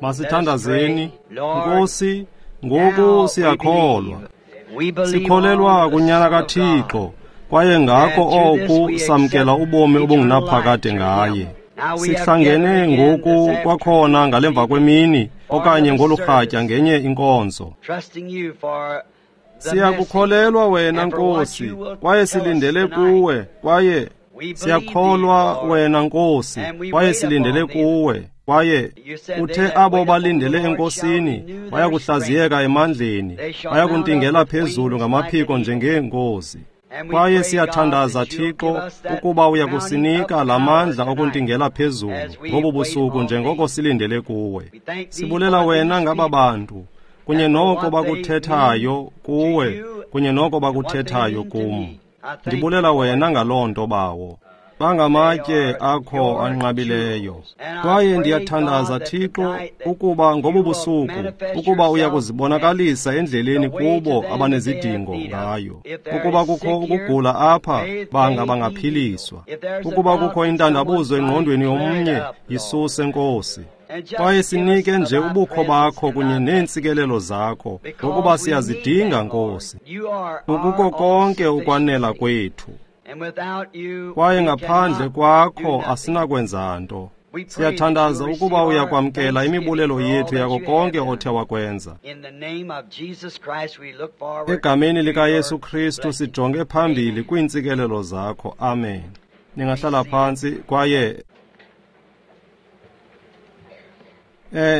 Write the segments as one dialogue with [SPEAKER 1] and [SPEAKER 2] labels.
[SPEAKER 1] Masithandazeni. Nkosi, ngoku siyakholwa. Sikholelwa kuNyana kaThixo, kwaye ngako oku samkela ubomi obungunaphakade ngaye. Sihlangene ngoku kwakhona ngalemva kwemini okanye ngolu rhatya ngenye inkonzo. Siyakukholelwa wena Nkosi, kwaye silindele kuwe, kwaye siyakholwa wena Nkosi, kwaye silindele kuwe. Kwaye uthe abo balindele eNkosini bayakuhlaziyeka emandleni, bayakuntingela phezulu ngamaphiko njengeenkozi. Kwaye siyathandaza Thixo ukuba uyakusinika la mandla okuntingela phezulu ngobu busuku njengoko silindele kuwe. Sibulela wena ngaba bantu kunye noko bakuthethayo kuwe, kunye noko bakuthethayo kum. Ndibulela wena ngaloo nto, Bawo. Bangamatye akho anqabileyo. Kwaye ndiyathandaza Thixo ukuba ngobu busuku ukuba uya kuzibonakalisa endleleni kubo abanezidingo ngayo. Ukuba kukho ukugula apha, banga bangaphiliswa. Ukuba kukho intandabuzo engqondweni yomnye, yisuse Nkosi. Kwaye sinike nje ubukho bakho kunye neentsikelelo zakho, ngokuba siyazidinga Nkosi. Ukuko konke ukwanela kwethu. Kwaye ngaphandle kwakho asinakwenza nto. Siyathandaza ukuba uyakwamkela imibulelo yethu yako konke othe wakwenza. Egameni likaYesu Kristu sijonge phambili kwiintsikelelo zakho. Amen. Ningahlala phantsi kwaye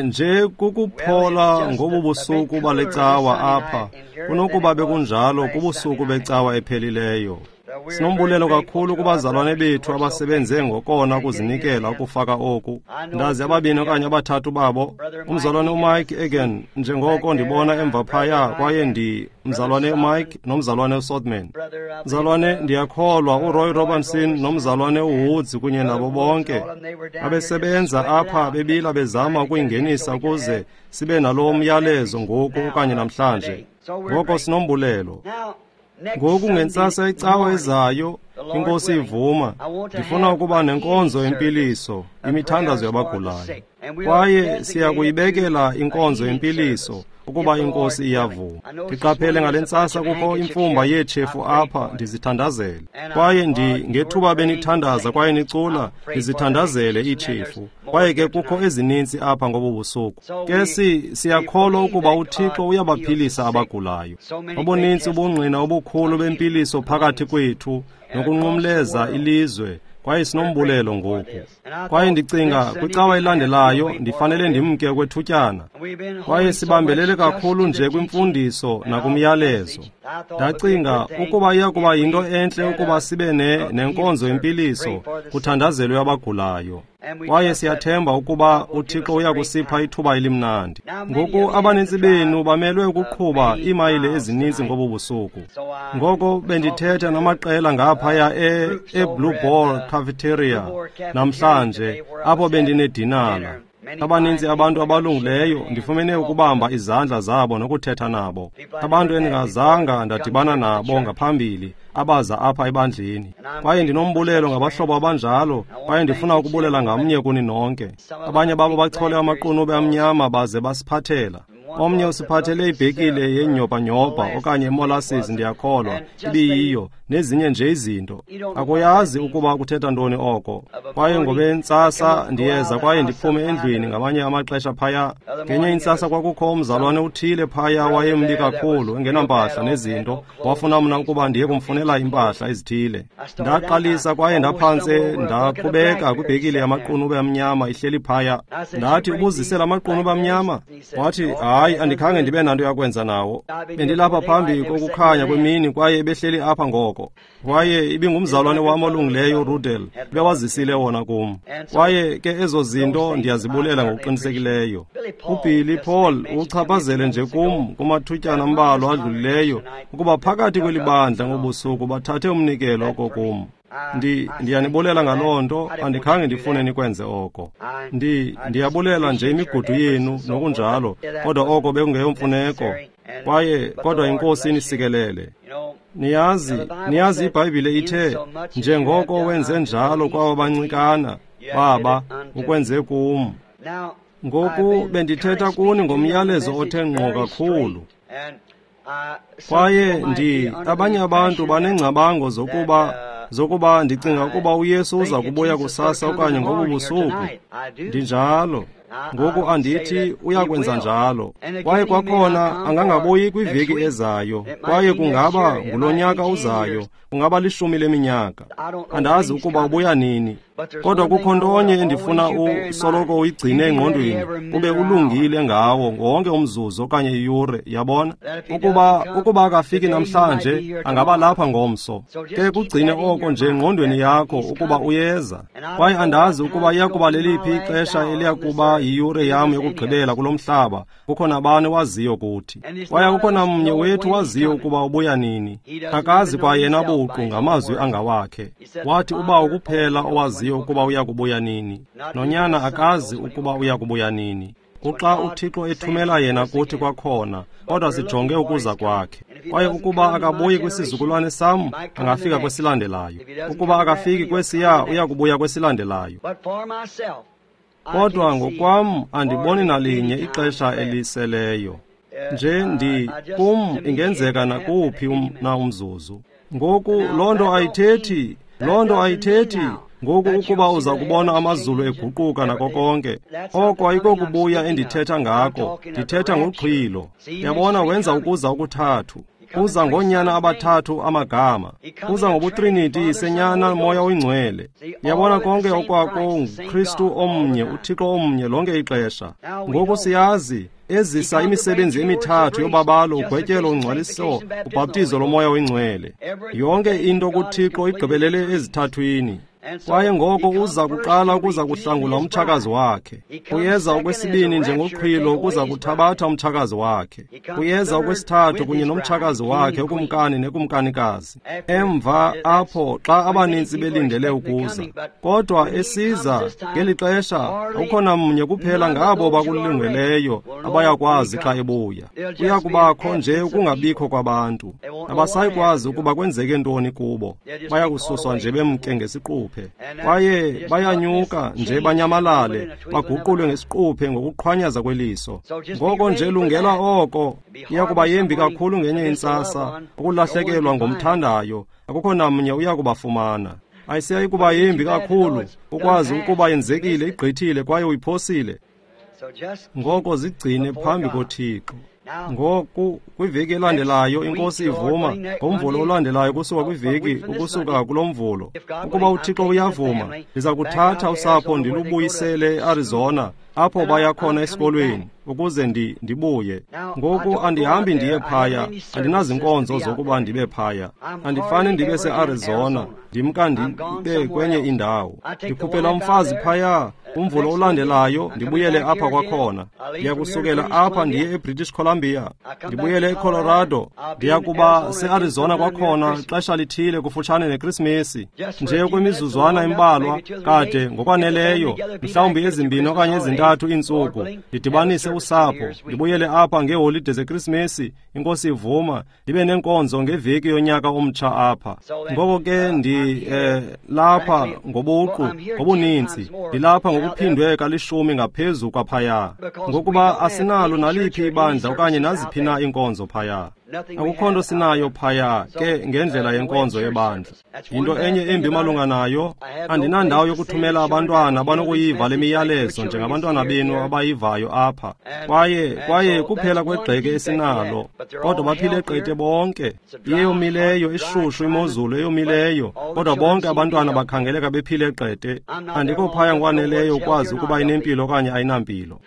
[SPEAKER 1] nje kukuphola ngobu busuku bale cawa apha kunokuba bekunjalo kubusuku becawa ephelileyo. Sinombulelo kakhulu kubazalwane bethu abasebenze ngokona ukuzinikela ukufaka oku. Ndazi ababini okanye abathathu babo, umzalwane uMike Egan, njengoko ndibona emva phaya, kwaye ndi mzalwane uMike nomzalwane uSothman. Mzalwane, ndiyakholwa uRoy Robinson nomzalwane uWoods kunye nabo bonke abesebenza apha bebila bezama ukuyingenisa ukuze sibe nalo myalezo ngoku okanye namhlanje. Ngoko sinombulelo. Ngoku ngentsasa icawa ezayo, iNkosi ivuma, ndifuna ukuba nenkonzo yempiliso, imithandazo yabagulayo. Kwaye siyakuyibekela inkonzo yempiliso ukuba iNkosi iyavuma. Ndiqaphele ngale ntsasa kukho imfumba yeetshefu apha, ndizithandazele. Kwaye ngethuba benithandaza kwaye nicula, ndizithandazele iitshefu. Kwaye ke kukho ezininzi apha ngobu busuku. Ke siyakholwa ukuba uThixo uyabaphilisa abagulayo. Obuninzi ubungqina obukhulu bempiliso phakathi kwethu nokunqumleza ilizwe, kwaye sinombulelo ngoku. Kwaye ndicinga kwicawa elandelayo ndifanele ndimke okwethutyana. Kwaye sibambelele kakhulu nje kwimfundiso nakumyalezo. Ndacinga ukuba iya kuba yinto entle ukuba sibe nenkonzo yempiliso kuthandazelwe abagulayo. Kwaye siyathemba ukuba uThixo uya kusipha ithuba elimnandi. Ngoku abanintsi benu bamelwe ukuqhuba iimayile ezininzi ngobu busuku. Ngoko bendithetha namaqela ngaphaya eBlue Ball Cafeteria namhlanje, apho bendinedinala. Abaninzi abantu abalungileyo ndifumene ukubamba izandla zabo nokuthetha nabo. Abantu endingazanga ndadibana nabo ngaphambili abaza apha ebandleni. Kwaye ndinombulelo ngabahlobo abanjalo, kwaye ndifuna ukubulela ngamnye kuni nonke. Abanye babo bachole amaqunube amnyama baze basiphathela. Omnye usiphathele ibhekile yenyobanyobha okanye molasses, ndiyakholwa ibiyiyo, nezinye nje izinto. Akuyazi ukuba kuthetha ntoni oko. Kwaye ngobentsasa ndiyeza kwaye ndiphume endlwini ngamanye amaxesha phaya. Ngenye intsasa kwakukho umzalwane uthile phaya wayembi kakhulu, engenampahla nezinto. Wafuna mna ukuba ndiye kumfunela impahla ezithile. Ndaqalisa kwaye ndaphantse ndakhubeka kwibhekile yamaqunube amnyama ihleli phaya. Ndathi, ubuzisela amaqunube amnyama? Wathi, hayi, andikhange ndibe nanto yakwenza nawo. Bendilapha phambi kokukhanya kwemini kwaye behleli apha ngoko. Kwaye ibingumzalwane wam olungileyo uRudel, ebewazisile wona kum. Kwaye ke ezo zinto ndiyazibulela ngokuqinisekileyo. UBilly Paul uchaphazele nje kum kumathutyana ambalwa adlulileyo ukuba phakathi kweli bandla ngobusuku bathathe umnikelo oko kum. Ndiyanibulela ngaloo nto, andikhange ndifune nikwenze oko. Ndiyabulela nje imigudu yenu nokunjalo, kodwa oko bekungeyomfuneko. Kwaye kodwa iNkosi inisikelele. Niyazi iBhayibhile ithe, njengoko wenze njalo kwaba bancikana, baba, ukwenze kum. Ngoku bendithetha kuni ngomyalezo othe ngqo kakhulu. Kwaye abanye abantu banengcabango zokuba ndicinga ukuba uYesu uza kubuya kusasa okanye ngobu busuku. Ndinjalo. Ngoku andithi uyakwenza njalo. Kwaye kwakhona angangabuyi kwiveki ezayo. Kwaye kungaba ngulonyaka uzayo, kungaba 10 leminyaka. Andazi ukuba ubuya nini. Kodwa kukho ntonye endifuna usoloko uyigcine engqondweni, ube ulungile ngawo wonke umzuzu okanye iyure, yabona? Ukuba akafiki namhlanje, angaba lapha ngomso. Ke kugcine oko nje engqondweni yakho ukuba uyeza. Kwaye andazi ukuba iyakuba leliphi ixesha eliyakuba yiyure yam yokugqibela kulo mhlaba. Kukho nabani waziyo kuthi. Kwaye akukho namnye wethu waziyo ukuba ubuya nini. Akazi kwayena buqu ngamazwi angawakhe. Wathi uBawo kuphela owaziyo ukuba uyakubuya nini. Nonyana akazi ukuba uyakubuya nini. Kuxa uThixo ethumela yena kuthi kwakhona, kodwa sijonge ukuza kwakhe. Kwaye ukuba akabuyi kwisizukulwane sam, angafika kwesilandelayo. Ukuba akafiki kwesiya, uyakubuya kwesilandelayo. Kodwa ngokwam andiboni nalinye ixesha eliseleyo. Nje kum ingenzeka nakuphi na umzuzu. Ngoku loo nto ayithethi. Ngoku ukuba uza kubona amazulu eguquka nako konke, oko ayikokubuya endithetha ngako, ndithetha ngoqhilo. Yabona, wenza ukuza okuthathu. Uza ngoonyana abathathu amagama. Uza ngobutriniti, Yisenyana, Moya oyiNgcwele. Yabona, konke okwako nguKristu omnye, uThixo omnye lonke ixesha. Ngoku siyazi ezisa imisebenzi emithathu yobabalo, ugwetyelo, ungcwaliso, ubhaptizo loMoya oyiNgcwele. Yonke into kuThixo igqibelele ezithathwini. Kwaye ngoko uza kuqala ukuza kuhlangula umtshakazi wakhe. Uyeza okwesibini njengoqhilo ukuza kuthabatha umtshakazi wakhe. Uyeza okwesithathu kunye nomtshakazi wakhe, ukumkani nekumkanikazi. Emva apho xa abanintsi belindele ukuza. Kodwa esiza ngeli xesha akukho namnye kuphela ngabo bakulungeleyo abayakwazi xa ebuya. Kuya kubakho nje ukungabikho kwabantu. Abasayikwazi ukuba kwenzeke ntoni kubo. Bayakususwa nje bemke ngesiquphe. Kwaye bayanyuka nje banyamalale, baguqulwe ngesiquphe ngokuqhwanyaza kweliso. Ngoko nje lungela oko. Iyakuba yembi kakhulu ngenye intsasa ukulahlekelwa ngomthandayo, akukho namnye uyakubafumana. Ayisiyayi kuba yembi kakhulu ukwazi ukuba yenzekile, igqithile kwaye uyiphosile. Ngoko zigcine phambi koThixo. Ngoku kwiveki elandelayo iNkosi ivuma, ngomvulo olandelayo kusuka kwiveki ukusuka kulo mvulo. Ukuba uThixo uyavuma, ndiza kuthatha usapho ndilubuyisele eArizona, apho baya khona esikolweni, ukuze ndibuye. Ngoku andihambi ndiye phaya, andinazinkonzo zokuba ndibe phaya. Andifane ndibe seArizona, ndimka ndibe kwenye indawo. Ndikhuphela umfazi phaya, umvulo olandelayo ndibuyele apha kwakhona. Ndiyakusukela apha ndiye eBritish Columbia, ndibuyele eColorado. Ndiyakuba seArizona kwakhona xesha lithile kufutshane neKrisimesi, nje kwimizuzwana embalwa kade ngokwaneleyo, mhlawumbi ezimbini okanye ezintathu iintsuku, ndidibanise usapho, ndibuyele apha ngeeholide zeKrisimesi, iNkosi ivuma, ndibe nenkonzo ngeveki yonyaka omtsha apha. Ngoko ke lapha ngobuqu, ngobuninzi, ndilapha ngokuphindwe kalishumi ngaphezu kwaphaya, ngokuba asinalo naliphi ibandla okanye naziphi na iinkonzo phaya. Akukho nto sinayo phaya ke ngendlela yenkonzo yebandla. Yinto enye embi malunga nayo, andinandawo yokuthumela abantwana abanokuyiva le miyalezo njengabantwana benu abayivayo apha. Kwaye kuphela kwegxeke esinalo, kodwa baphile qete bonke. Iyeyomileyo, ishushu imozulu eyomileyo, kodwa bonke abantwana bakhangeleka bephile qete. Andikho phaya ngokwaneleyo ukwazi ukuba inempilo okanye ayinampilo.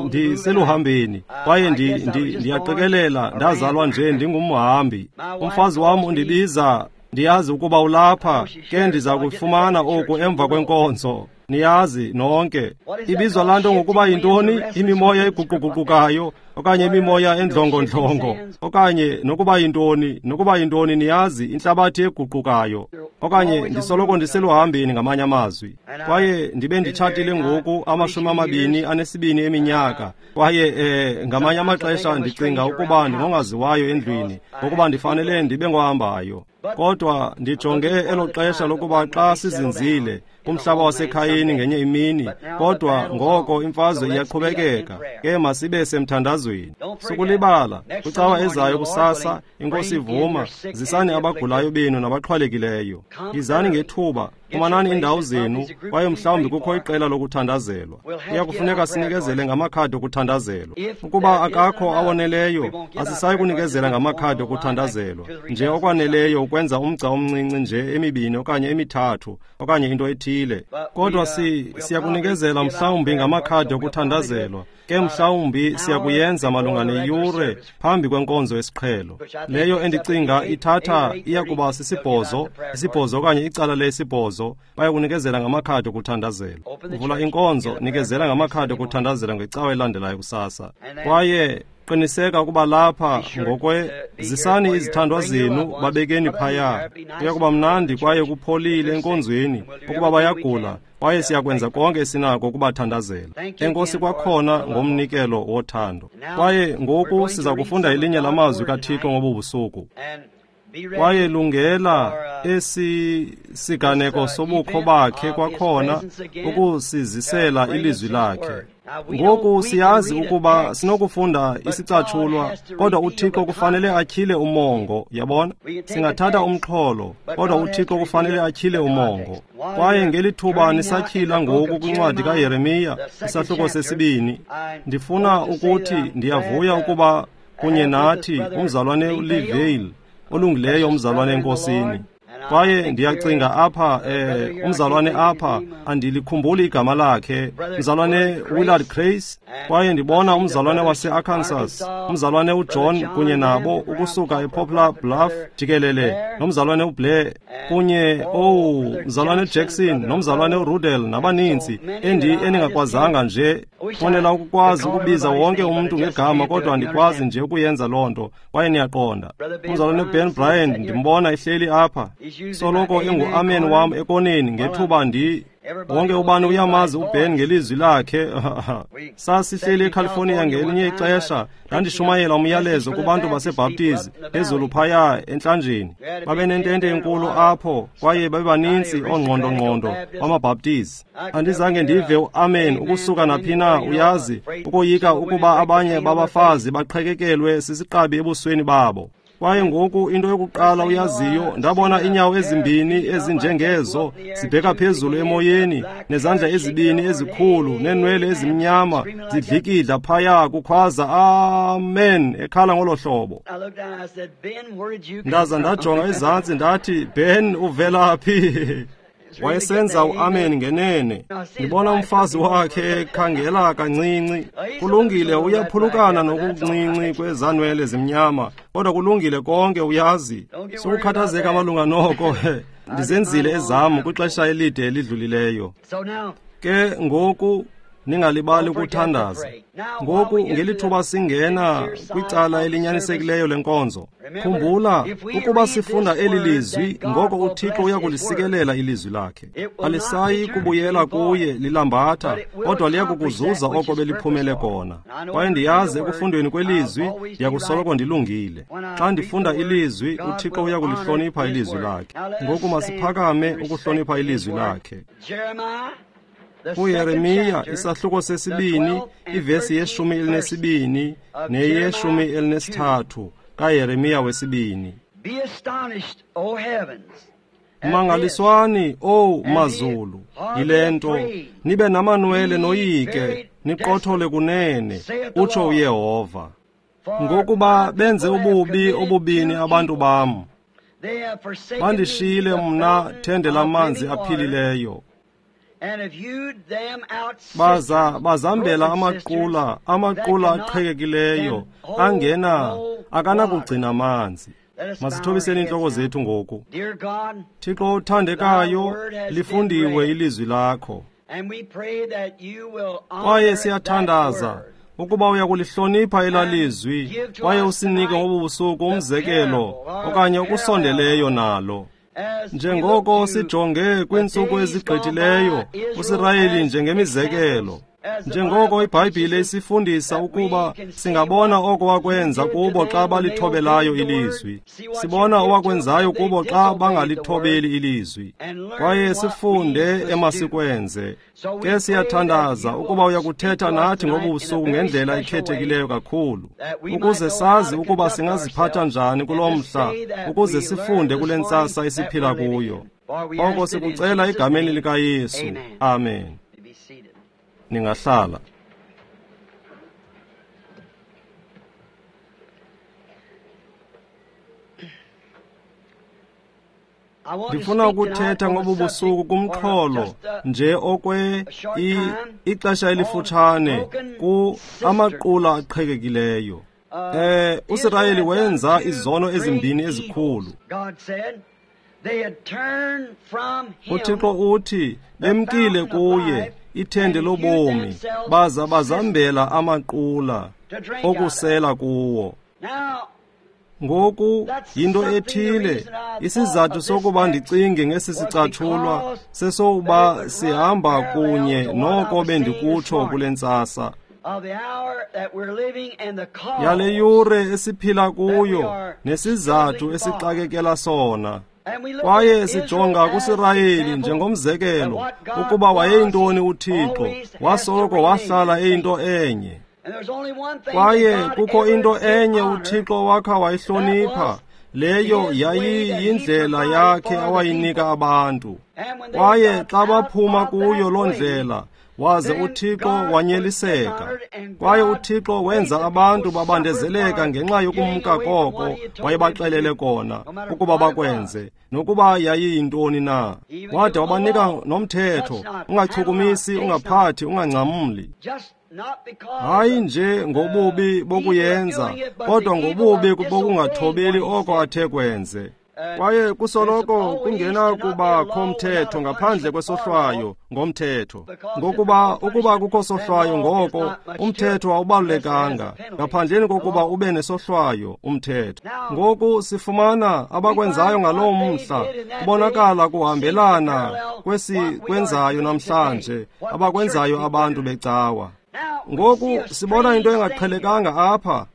[SPEAKER 1] Ndiseluhambeni, kwaye ndiyaqikelela ndazalwa nje ndingumhambi. Umfazi wam undibiza, ndiyazi ukuba ulapha, ke ndiza kufumana oku emva kwenkonzo. Niyazi nonke. Ibizwa laa nto ngokuba yintoni? Imimoya eguquguqukayo, okanye imimoya endlongondlongo, okanye nokuba yintoni, niyazi, intlabathi eguqukayo. Okanye ndisoloko ndiseluhambeni ngamanye amazwi. Kwaye ndibe nditshatile ngoku 22 eminyaka. Kwaye ngamanye amaxesha ndicinga ukuba ndingongaziwayo endlwini, ngokuba ndifanele ndibe ngohambayo. Kodwa ndijonge elo xesha lokuba xa sizinzile kumhlaba wasekhayeni ngenye imini, kodwa ngoko imfazwe iyaqhubekeka, ke masibe semthandazweni. Sukulibala, kwicawa ezayo kusasa, iNkosi ivuma, zisani abagulayo benu nabaxhwalekileyo. Yizani ngethuba, fumanani iindawo zenu, kwaye mhlawumbi kukho iqela lokuthandazelwa. Kuya kufuneka sinikezele ngamakhadi okuthandazelwa. Ukuba akakho awoneleyo, asisayi kunikezela ngamakhadi okuthandazelwa, nje okwaneleyo ukwenza umgca omncinci nje emibini okanye emithathu okanye into ethile. Kodwa siyakunikezela mhlawumbi ngamakhadi okuthandazelwa, ke mhlawumbi siyakuyenza malunga neyure phambi kwenkonzo yesiqhelo. Leyo endicinga ithatha iyakuba sisibhozo, isibhozo okanye icala lesibhozo, bayakunikezela ngamakhadi okuthandazelwa. Vula inkonzo, nikezela ngamakhadi okuthandazela ngecawa elandelayo kusasa. Kwaye qiniseka ukuba lapha ngokwe zisani izithandwa zenu babekeni phaya. Kuya kuba mnandi kwaye kupholile enkonzweni ukuba bayagula, kwaye siyakwenza konke esinako ukubathandazela. Enkosi kwakhona ngomnikelo wothando. Kwaye ngoku siza kufunda elinye lamazwi kaThixo ngobu busuku. Kwaye lungela esi siganeko sobukho bakhe kwakhona ukusizisela ilizwi lakhe. Ngoku siyazi ukuba sinokufunda isicatshulwa, kodwa uThixo kufanele atyhile umongo, yabona? Singathatha umxholo, kodwa uThixo kufanele atyhile umongo. Kwaye ngelithuba nisatyhila ngoku kwincwadi kaYeremiya, isahluko sesibini, ndifuna ukuthi ndiyavuya ukuba kunye nathi umzalwane uLivale, olungileyo umzalwane eNkosini. Kwaye ndiyacinga apha, umzalwane apha, andilikhumbuli igama lakhe, umzalwane Willard Grace. Kwaye ndibona umzalwane wase-Arkansas, umzalwane uJohn kunye nabo ukusuka ePoplar Bluff jikelele, nomzalwane uBlair kunye, umzalwane Jackson, nomzalwane uRudel nabaninzi endingakwazanga nje. Fonela ukukwazi ukubiza wonke umuntu ngegama, kodwa andikwazi nje ukuyenza loo nto, kwaye niyaqonda. Umzalwane Ben Bryant ndimbona ehleli apha, soloko engu-amen wam ekoneni ngethuba wonke ubani uyamazi uBen ngelizwi lakhe. Sasihleli eCalifornia ngelinye ixesha, ndandishumayela umyalezo kubantu baseBhaptizi phezulu phaya entlanjeni. Babenentente enkulu apho, kwaye babebaninzi oongqondo-ngqondo bamaBhaptizi. Andizange ndive uamen ukusuka naphi na, uyazi, ukoyika ukuba abanye babafazi baqhekekelwe sisiqabi ebusweni babo. Kwaye ngoku into yokuqala uyaziyo, ndabona inyawo ezimbini ezinjengezo zibheka phezulu emoyeni, nezandla ezibini ezikhulu neenwele ezimnyama zidlikidla phaya, kukhwaza amen ekhala ngolo hlobo. Ndaza ndajonga ezantsi ndathi, Ben, uvela phi? Wayesenza uamen ngenene. Ndibona umfazi wakhe ekhangela kancinci. Kulungile, uyaphulukana nokuncinci kwezanwele zimnyama, kodwa kulungile konke, uyazi. Sukukhathazeka malunga noko. Ndizenzile ezam kwixesha elide elidlulileyo. Ke ngoku ningalibali ukuthandaza. Ngoku ngelithuba singena kwicala elinyanisekileyo lenkonzo, khumbula ukuba sifunda eli lizwi, ngoko uThixo uyakulisikelela ilizwi lakhe. Alisayi kubuyela kuye lilambatha, kodwa liyakukuzuza oko beliphumele kona. Kwaye ndiyazi ekufundweni kwelizwi ndiyakusoloko ndilungile. Xa ndifunda ilizwi, uThixo uyakulihlonipha ilizwi lakhe. Ngoku masiphakame ukuhlonipha ilizwi lakhe. KuYeremiya isahluko sesibini, ivesi ye-12 neye-13 kaYeremiya wesibini. Mangaliswani, owu mazulu, yile nto, nibe namanwele noyike, niqothole kunene, utsho uYehova. Ngokuba benze ububi obubini abantu bam, bandishiyile mna thende lamanzi aphilileyo. Baza bazambela amaqula aqhekekileyo, angena akanakugcina amanzi. Masithobiseni iintloko zethu ngoku. Thixo othandekayo, lifundiwe ilizwi lakho. Kwaye siyathandaza ukuba uyakulihlonipha elalizwi, kwaye usinike ngobu busuku umzekelo okanye okusondeleyo nalo. Njengoko sijonge kwiintsuku ezigqithileyo, uSirayeli njengemizekelo. Njengoko iBhayibhile isifundisa ukuba singabona oko wakwenza kubo xa balithobelayo ilizwi, sibona owakwenzayo kubo xa bangalithobeli ilizwi, kwaye sifunde emasikwenze. Ke siyathandaza ukuba uyakuthetha nathi ngobusuku ngendlela ekhethekileyo kakhulu, ukuze sazi ukuba singaziphatha njani kulo mhla, ukuze sifunde kule ntsasa esiphila kuyo. Oko sikucela egameni likaYesu. Amen. Ningahlala. Ndifuna ukuthetha ngobu busuku kumxholo nje okwe ixesha elifutshane ku amaqula aqhekekileyo. uSirayeli wenza izono ezimbini ezikhulu. UThixo uthi bemkile kuye ithende lobomi, baza bazambela amaqula okusela kuwo. Ngoku yinto ethile, isizathu sokuba ndicinge ngesi sicatshulwa sesokuba sihamba kunye noko bendikutsho kule ntsasa yale yure esiphila kuyo nesizathu esixakekela sona. Kwaye sijonga kuSirayeli njengomzekelo ukuba wayeyintoni uThixo, wasoloko wahlala eyinto enye. Kwaye kukho into enye uThixo wakha wayihlonipha, leyo yayiyindlela yakhe awayinika abantu. Kwaye xa baphuma kuyo loo ndlela, waze uThixo wanyeliseka. Kwaye uThixo wenza abantu babandezeleka ngenxa yokumka koko wayebaxelele kona ukuba bakwenze, nokuba yayiyintoni na. Wade wabanika nomthetho, ungachukumisi, ungaphathi, ungangcamli. Hayi nje ngobubi bokuyenza, kodwa ngobubi bokungathobeli oko athe kwenze. Kwaye kusoloko kungena kubakho mthetho ngaphandle kwesohlwayo ngomthetho. Ngokuba ukuba kukho sohlwayo ngoko umthetho awubalulekanga ngaphandleni kokuba ube nesohlwayo umthetho. Ngoku sifumana abakwenzayo ngaloo mhla kubonakala kuhambelana kwesikwenzayo namhlanje, abakwenzayo abantu becawa. Ngoku sibona into engaqhelekanga apha.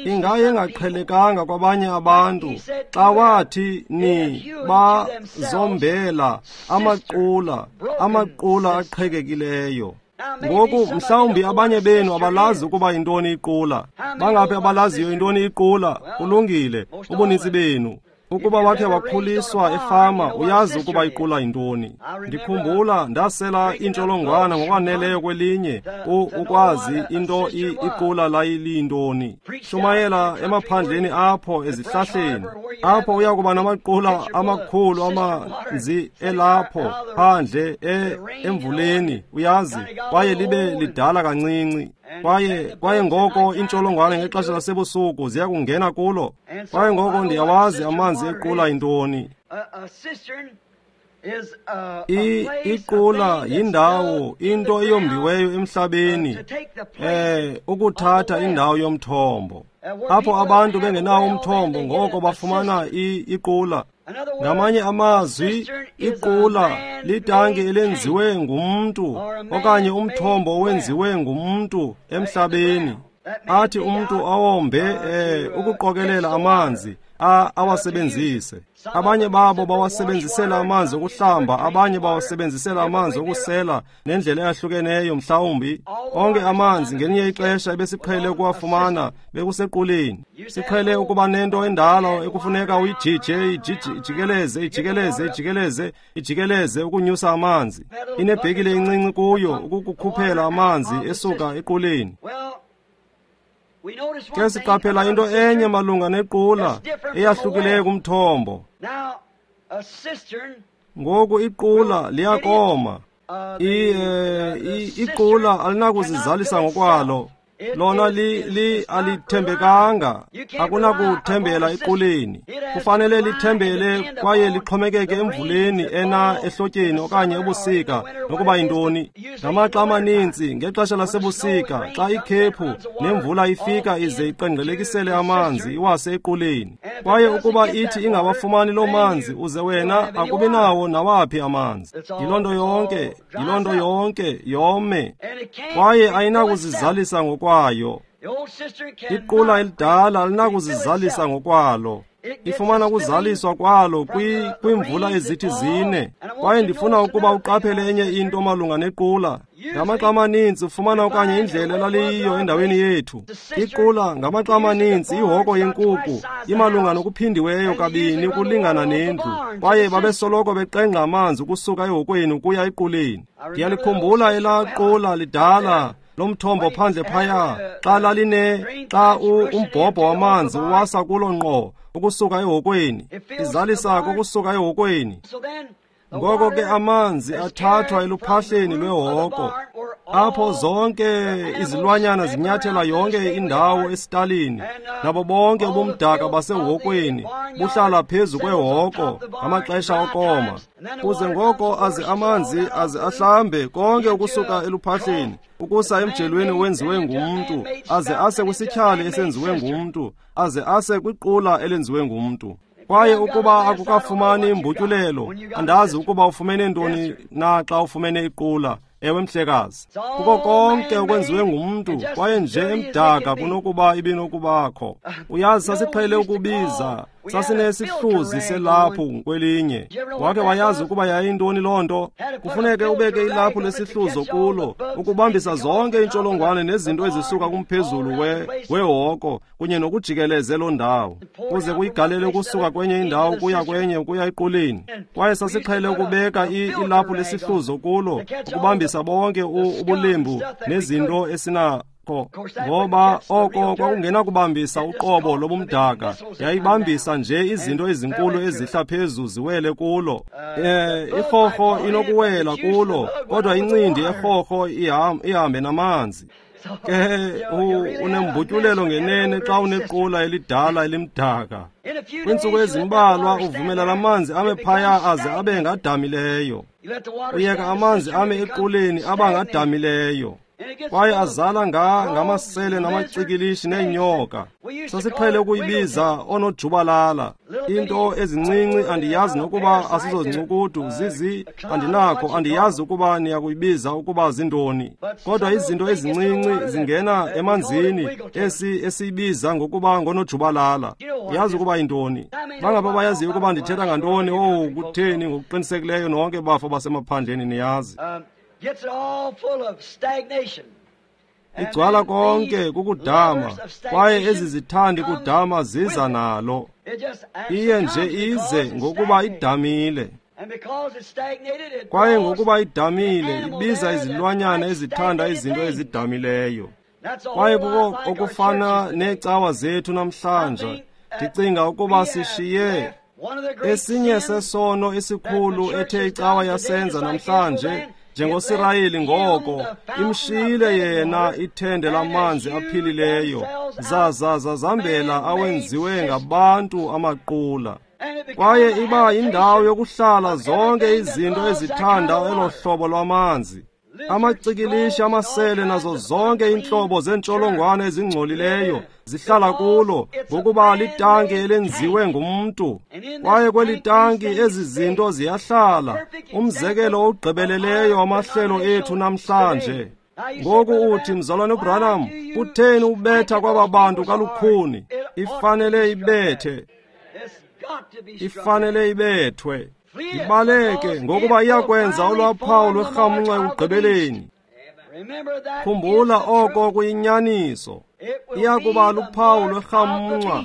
[SPEAKER 1] Ingaye engaqhelekanga kwabanye abantu xa wathi ni bazombela amaqula, amaqula aqhekekileyo. Ngoku mhlawumbi abanye benu abalazi ukuba yintoni iqula. Bangaphi abalaziyo intoni iqula? Kulungile, ubuninzi benu. Ukuba wakhe wakhuliswa efama, uyazi ukuba iqula yintoni. Ndikhumbula ndasela intsholongwana ngokwaneleyo kwelinye ukwazi into iqula layiliyintoni. Shumayela emaphandleni apho ezihlahleni, apho uya kuba namaqula amakhulu amanzi elapho phandle emvuleni, uyazi, kwaye libe lidala kancinci. Kwaye ngoko intsholongwane ngexesha lasebusuku ziya kungena kulo. Kwaye ngoko ndiyawazi amanzi equla yintoni. Iqula yindawo, into eyombiweyo emhlabeni, ukuthatha indawo yomthombo. Apho abantu bengenawo umthombo, ngoko bafumana iqula. Ngamanye amazwi, iqula litanki elenziwe ngumntu okanye umthombo owenziwe ngumntu emhlabeni. Athi umntu awombe ukuqokelela amanzi awasebenzise. Abanye babo bawasebenzisela amanzi okuhlamba, abanye bawasebenzisela amanzi okusela nendlela eyahlukeneyo mhlawumbi. Onke amanzi ngelinye ixesha ebesiqhele ukuwafumana bekusequleni. Siqhele ukuba nento endala ekufuneka uyijije, ijikeleze, ijikeleze, ijikeleze, ijikeleze ukunyusa amanzi. Inebhekile encinci kuyo ukukukhuphela amanzi esuka equleni. Ke siqaphela into enye malunga nequla eyahlukileyo kumthombo. Ngoku iqula liyakoma. Iqula alinakuzizalisa ngokwalo. Lona li alithembekanga. Akunakuthembela equleni. Kufanele lithembele kwaye lixhomekeke emvuleni ena ehlotyeni okanye ebusika, nokuba yintoni. Ngamaxa amaninzi ngexesha lasebusika, xa ikhephu nemvula ifika ize iqengqelekisele amanzi iwase equleni. Kwaye ukuba ithi ingawafumani loo manzi, uze wena akubi nawo nawaphi amanzi. Yiloo nto yonke, yiloo nto yonke, yome. Kwaye ayinakuzizalisa ngokwayo. Iqula elidala alinakuzizalisa ngokwalo. Ifumana ukuzaliswa kwalo kwiimvula ezithi zine. Kwaye ndifuna ukuba uqaphele enye into malunga nequla. Ngamaxa amaninzi ufumana okanye indlela elaliyiyo endaweni yethu. Iqula ngamaxa amaninzi ihoko yenkuku imalunga nokuphindiweyo kabini ukulingana nendlu. Kwaye babesoloko beqengqa amanzi ukusuka ehokweni ukuya equleni. Ndiyalikhumbula elaa qula lidala lomthombo phandle phaya, xa laline xa umbhobho wamanzi uwasa kulo ngqo ukusuka ehokweni, izalisa ukusuka ehokweni. Ngoko ke amanzi athathwa eluphahleni lwehoko, apho zonke izilwanyana zinyathela yonke indawo esitalini, nabo bonke ubumdaka basehokweni buhlala phezu kwehoko ngamaxesha okoma. Kuze ngoko aze amanzi aze ahlambe konke ukusuka eluphahleni ukusa emjelweni owenziwe ngumntu, aze ase kwisityhali esenziwe ngumntu, aze ase kwiqula elenziwe ngumntu. Kwaye ukuba akukafumani imbutyulelo, andazi ukuba ufumene ntoni na xa ufumene iqula. Ewe mhlekazi, kuko konke okwenziwe ngumntu, kwaye nje emdaka kunokuba ibinokubakho. Uyazi, sasiqhele ukubiza, sasinesihluzi selaphu kwelinye. Wake wayazi ukuba yayintoni loo nto? Kufuneke ubeke ilaphu lesihluzo kulo ukubambisa zonke iintsholongwane nezinto ezisuka kumphezulu wehoko kunye nokujikeleze loo ndawo, kuze kuyigalele ukusuka kwenye indawo kuya kwenye ukuya equleni. Kwaye sasiqhele ukubeka ilaphu lesihluzo kulo ukubambisa bonke ubulembu nezinto esinakho, ngoba oko kwakungenakubambisa uqobo lobumdaka, yayibambisa nje izinto ezinkulu ezihla phezu ziwele kulo. Irhorho inokuwela kulo, kodwa incindi erhorho ihambe namanzi. Ke unembutyulelo ngenene xa unequla elidala elimdaka. Kwiintsuku ezimbalwa uvumela lamanzi ame phaya aze abe ngadamileyo. Uyeka amanzi ame equleni aba ngadamileyo. Kwaye azala ngamasele namacikilishi neenyoka. Sasiqhele ukuyibiza onojubalala. Into ezincinci andiyazi nokuba asizozincukudu zizi andinakho, andiyazi ukuba niyakuyibiza ukuba zintoni. Kodwa izinto ezincinci zingena emanzini esiyibiza ngokuba ngonojubalala. Yazi ukuba yintoni. Bangaba bayaziyo ukuba ndithetha ngantoni? Owu, kutheni ngokuqinisekileyo nonke bafo basemaphandleni niyazi. Igcwala konke kukudama, kwaye ezi zithandi kudama ziza nalo. Iye nje ize ngokuba idamile. Kwaye ngokuba idamile, ibiza izilwanyana ezithanda izinto ezidamileyo. Kwaye kuko okufana neecawa zethu namhlanje. Ndicinga ukuba sishiye esinye sesono esikhulu ethe icawa yasenza namhlanje, njengoSirayeli ngoko imshiyile yena ithende lamanzi aphilileyo, zaza zazambela awenziwe ngabantu amaqula. Kwaye iba yindawo yokuhlala zonke izinto ezithanda elo hlobo lwamanzi, amacikilishi, amasele nazo zonke iintlobo zeentsholongwane ezingcolileyo zihlala kulo, ngokuba litanki elenziwe ngumntu. Kwaye kweli tanki ezi zinto ziyahlala, umzekelo ogqibeleleyo wamahlelo ethu namhlanje. Ngoku uthi, mzalwane uBranham, kutheni ubetha kwaba bantu kalukhuni? Ifanele ibethe, ifanele ibethwe, ibaleke, ngokuba iyakwenza olwaphawu lwerhamncwa ekugqibeleni. Khumbula oko kuyinyaniso. Iya kuba luphawu lwerhamncwa.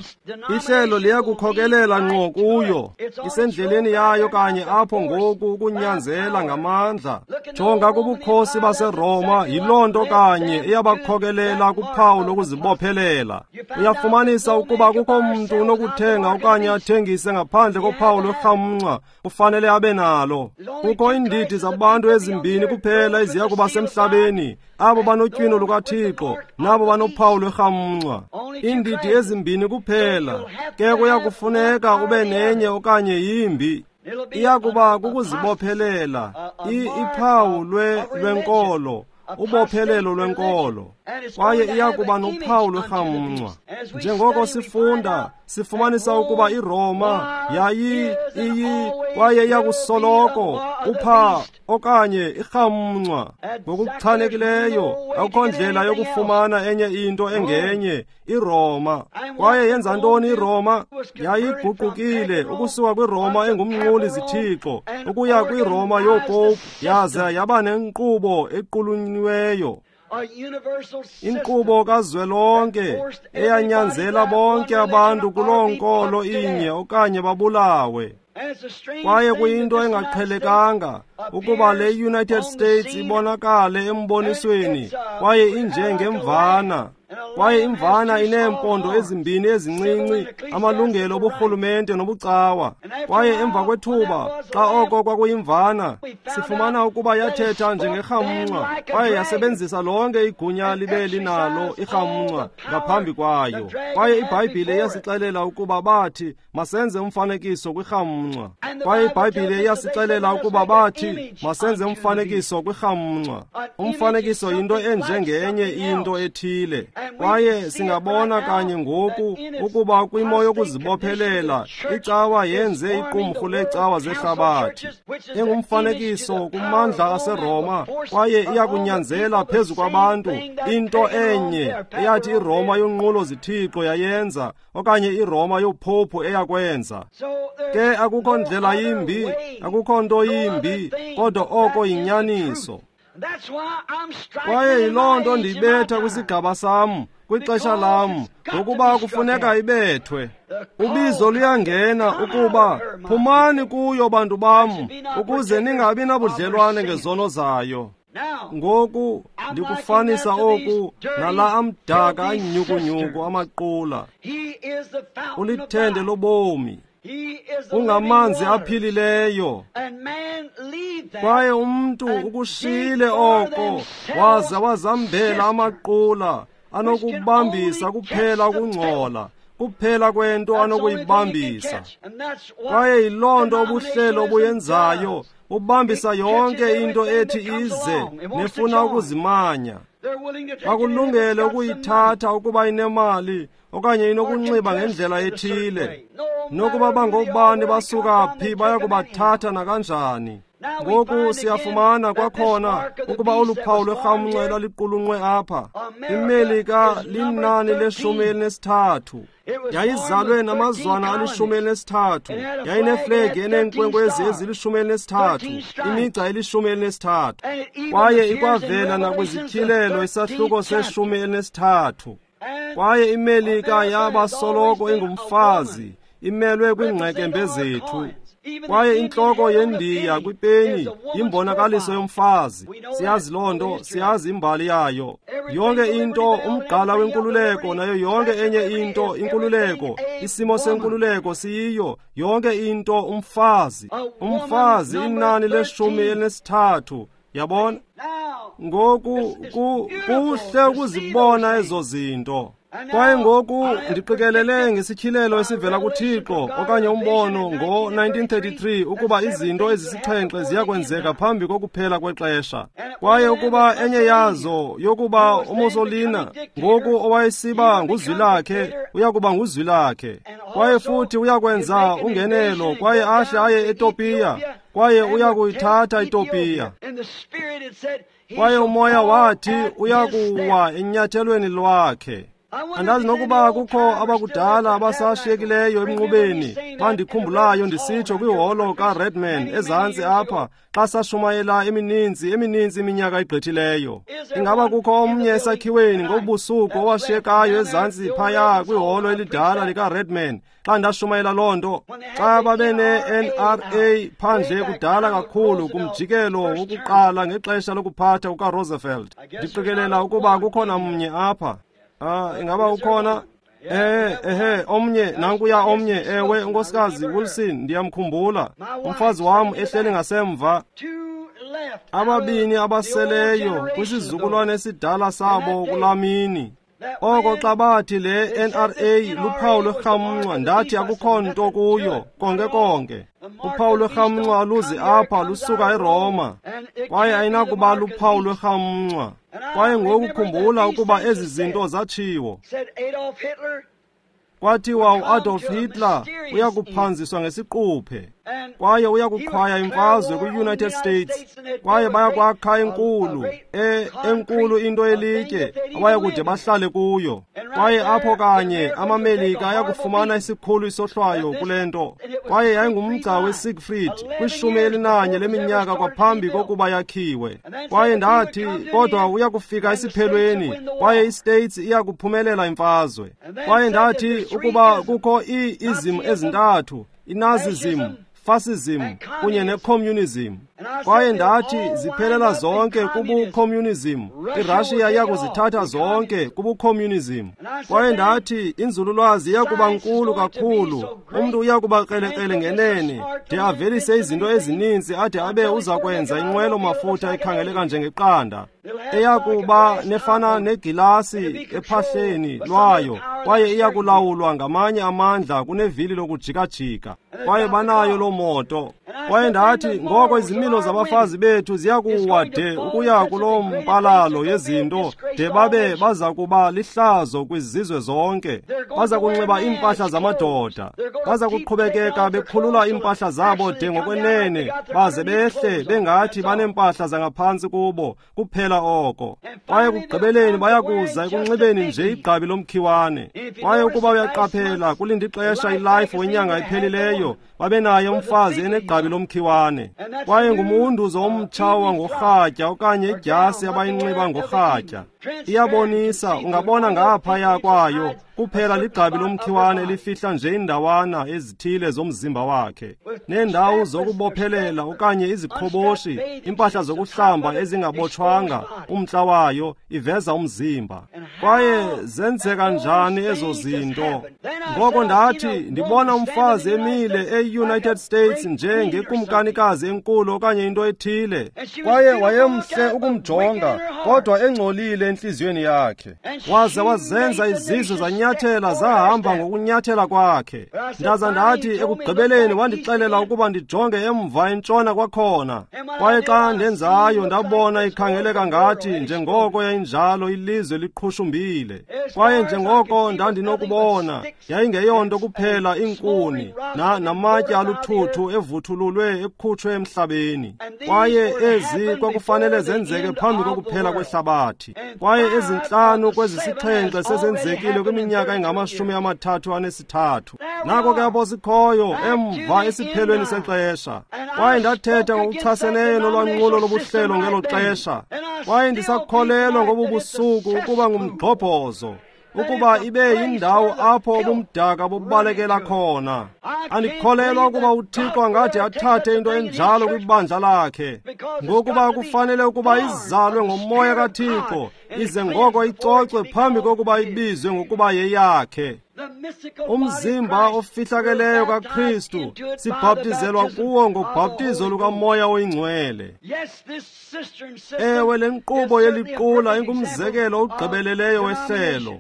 [SPEAKER 1] Ihlelo liyakukhokelela ngqo kuyo. Isendleleni yayo kanye apho ngoku ukunyanzela ngamandla. Jonga kubukhosi baseRoma, yiloo nto kanye eyabakhokelela kuphawu lokuzibophelela. Uyafumanisa ukuba kukho mntu unokuthenga okanye athengise ngaphandle kophawu lwerhamncwa, kufanele abe nalo. Kukho iindidi zabantu ezimbini kuphela eziya kuba semhlabeni, abo banotywino lukaThixo nabo banophawu lwerhamncwa. Iindidi ezimbini kuphela. Ke kuyakufuneka ube nenye okanye yimbi. Iya kuba kukuzibophelela, iphawu lwenkolo, ubophelelo lwenkolo, kwaye iya kuba nophawu lwerhamncwa. Njengoko sifunda, sifumanisa ukuba iRoma yayi iyi kwaye iyakusoloko upha okanye irhamncwa. Ngokuchanekileyo akukho ndlela yokufumana enye into engenye, iRoma. Kwaye yenza ntoni iRoma? Yayiguqukile ukusuka kwiRoma engumnquli zithixo ukuya kwiRoma yoopopu, yaza yaba nenkqubo equlunyiweyo, inkqubo kazwelonke eyanyanzela bonke abantu kuloo nkolo inye okanye babulawe. Kwaye kuyinto engaqhelekanga ukuba le United States ibonakale embonisweni kwaye injengemvana. Kwaye imvana ineempondo ezimbini ezincinci, amalungelo oburhulumente nobucawa. Kwaye emva kwethuba, xa oko kwakuyimvana, sifumana ukuba yathetha njengerhamncwa kwaye yasebenzisa lonke igunya libe linalo irhamncwa ngaphambi kwayo. Kwaye iBhayibhile iyasixelela ukuba bathi masenze umfanekiso kwirhamncwa. Kwaye iBhayibhile iyasixelela ukuba bathi masenze umfanekiso kwirhamncwa. Umfanekiso yinto enjengenye into ethile. Kwaye singabona kanye ngoku ukuba kwimo yokuzibophelela icawa yenze iqumrhu leecawa zehlabathi engumfanekiso kumandla aseRoma, kwaye iyakunyanzela phezu kwabantu into enye eyathi iRoma yonqulo zithixo yayenza, okanye iRoma yophophu eyakwenza. Ke akukho ndlela yimbi, akukho nto yimbi, kodwa oko yinyaniso. Kwaye yiloo nto ndiyibetha kwisigaba sam, kwixesha lam, ngokuba kufuneka ibethwe. Ubizo luyangena ukuba phumani kuyo bantu bam, ukuze ningabi nabudlelwane ngezono zayo. Ngoku ndikufanisa oku nala amdaka anyukunyuku amaqula. Ulithende lobomi, ungamanzi aphilileyo. Kwaye umntu ukushiyile oko, waza wazambela amaqula anokubambisa kuphela ukungcola, kuphela kwento anokuyibambisa. Kwaye yiloo nto ubuhlelo obuyenzayo, bubambisa yonke into ethi ize nefuna ukuzimanya. Bakulungele ukuyithatha ukuba inemali okanye inokunxiba ngendlela ethile. Nokuba bangobani basuka phi, baya kubathatha nakanjani. Ngoku siyafumana kwakhona ukuba olu phawu lwerhamncwa elaliqulunqwe apha, iMelika linani le-13. Yayizalwe namazwana ali-13, yayineflegi eneenkwenkwezi ezili-13, imigca eli-13. Kwaye ikwavela nakwizityhilelo isahluko se-13. Kwaye iMelika yaba soloko ingumfazi, imelwe kwiingqekembe zethu. Kwaye intloko yendiya kwipeni yimbonakaliso yomfazi. Siyazi loo nto, siyazi imbali yayo. Yonke into, umgqala wenkululeko nayo yonke enye into, inkululeko, isimo senkululeko siyiyo yonke into umfazi. Umfazi inani le-13. Yabona? Ngoku kuhle ukuzibona ezo zinto. Kwaye ngoku ndiqikelele ngesityhilelo esivela kuThixo okanye umbono ngo-1933 ukuba izinto ezisixhenxe ziyakwenzeka phambi kokuphela kwexesha. Kwaye ukuba enye yazo yokuba uMussolini ngoku owayesiba nguzwilakhe uyakuba nguzwilakhe. Kwaye futhi uyakwenza ungenelo kwaye ahle aye eTopiya, kwaye uyakuyithatha iTopiya. Kwaye umoya wathi uyakuwa enyathelweni lwakhe. Andazi nokuba kukho abakudala abasashiyekileyo emnqubeni bandikhumbulayo ndisitsho kwiholo kaRedman ezantsi apha xa sashumayela emininzi iminyaka igqithileyo. Ingaba kukho omnye esakhiweni ngobusuku owashiyekayo ezantsi phaya kwiholo elidala likaRedman xa ndashumayela loo nto, xa babene-NRA phandle kudala kakhulu kumjikelo wokuqala ngexesha lokuphatha kukaRoosevelt. Ndiqikelela ukuba kukhona mnye apha. Ingaba ukhona? Ehe, omnye, nankuya omnye, ewe, unkosikazi Wilson, ndiyamkhumbula. Umfazi wam ehleli ngasemva. Ababini abaseleyo kwisizukulwane esidala sabo kulaa mini. Oko xa bathi le NRA luphawu lwerhamncwa, ndathi akukho nto kuyo, konke konke. Uphawu lwerhamncwa aluzi apha, lusuka eRoma, kwaye ayinakuba luphawu lwerhamncwa. Kwaye ngoku khumbula ukuba ezi zinto zatshiwo. Kwathiwa uAdolf Hitler uyakuphanziswa ngesiquphe, kwaye uyakuqhwaya imfazwe kwi-United States, kwaye bayakwakha enkulu, enkulu into elitye abayakude bahlale kuyo. Kwaye apho kanye amaMelika ayakufumana isikhulu isohlwayo kule nto. Kwaye yayingumgca weSiegfried kwi-11 leminyaka kwaphambi kokuba yakhiwe. Kwaye ndathi, kodwa uyakufika esiphelweni, kwaye iStates iyakuphumelela imfazwe. Kwaye ndathi ukuba kukho ii-ism ezintathu, iNazism, Fascism kunye necommunism. Kwaye ndathi ziphelela zonke kubucommunism. IRussia iyakuzithatha zonke kubucommunism. Kwaye ndathi inzululwazi iyakuba nkulu kakhulu, umntu uyakuba krelekrele ngenene de avelise izinto ezininzi ade abe uza kwenza inqwelo mafutha ekhangeleka njengeqanda, eyakuba nefana negilasi ephahleni lwayo, kwaye iyakulawulwa ngamanye amandla kunevili lokujikajika. Kwaye banayo loo moto. Kwaye ndathi ngoko izimilo zabafazi bethu ziyakuwa de ukuya kuloo mpalalo yezinto de babe baza kuba lihlazo kwizizwe zonke. Baza kunxiba iimpahla zamadoda, baza kuqhubekeka bekhulula iimpahla zabo de ngokwenene baze behle bengathi baneempahla zangaphantsi kubo kuphela oko. Kwaye kugqibeleni bayakuza ekunxibeni nje igqabi lomkhiwane. Kwaye ukuba uyaqaphela, kulinda ixesha iLife wenyanga ephelileyo, babenaye umfazi enegqabi lomkhiwane. Kwaye ngumunduzo omtsha wangorhatya okanye idyasi abayinxiba ngorhatya. Iyabonisa, ungabona ngaphaya kwayo, kuphela ligqabi lomkhiwane elifihla nje indawana ezithile zomzimba wakhe, neendawo zokubophelela okanye iziqhoboshi, impahla zokuhlamba ezingabotshwanga, umntla wayo iveza umzimba. Kwaye zenzeka njani ezo zinto? Ngoko ndathi ndibona umfazi emile e-United States njengekumkanikazi enkulu okanye into ethile, kwaye wayemhle ukumjonga, kodwa engcolile entliziyweni yakhe. Waze wazenza izizwe zanyathela zahamba ngokunyathela kwakhe. Ndaza ndathi ekugqibeleni wandixelela ukuba ndijonge emva entshona kwakhona. Kwaye xa ndenzayo ndabona ikhangeleka ngathi njengoko yayinjalo ilizwe liqhushumbile. Kwaye njengoko ndandinokubona yayingeyonto kuphela iinkuni namatye aluthuthu evuthululwe ekhutshwe emhlabeni. Kwaye ezi kwakufanele zenzeke phambi kokuphela kwehlabathi. Kwaye ezintlanu kwezisixhenxe sezenzekile kwiminyaka engama-33. Nako ke apho sikhoyo emva esiphelweni sexesha. Kwaye ndathetha ngokuchaseneyo nolwanqulo lobuhlelo ngelo xesha. Kwaye ndisakholelwa ngobu busuku ukuba ngumgxobhozo, ukuba ibe yindawo apho ubumdaka bubalekela khona. Andikholelwa ukuba uThixo angathi athathe into enjalo kwibandla lakhe, ngokuba kufanele ukuba izalwe ngomoya kaThixo, ize ngoko icocwe phambi kokuba ibizwe ngokuba yeyakhe. Umzimba ofihlakeleyo kaKristu sibhaptizelwa kuwo ngobhaptizo lukaMoya oyiNgcwele. Ewe, le nkqubo yeliqula ingumzekelo ogqibeleleyo wehlelo.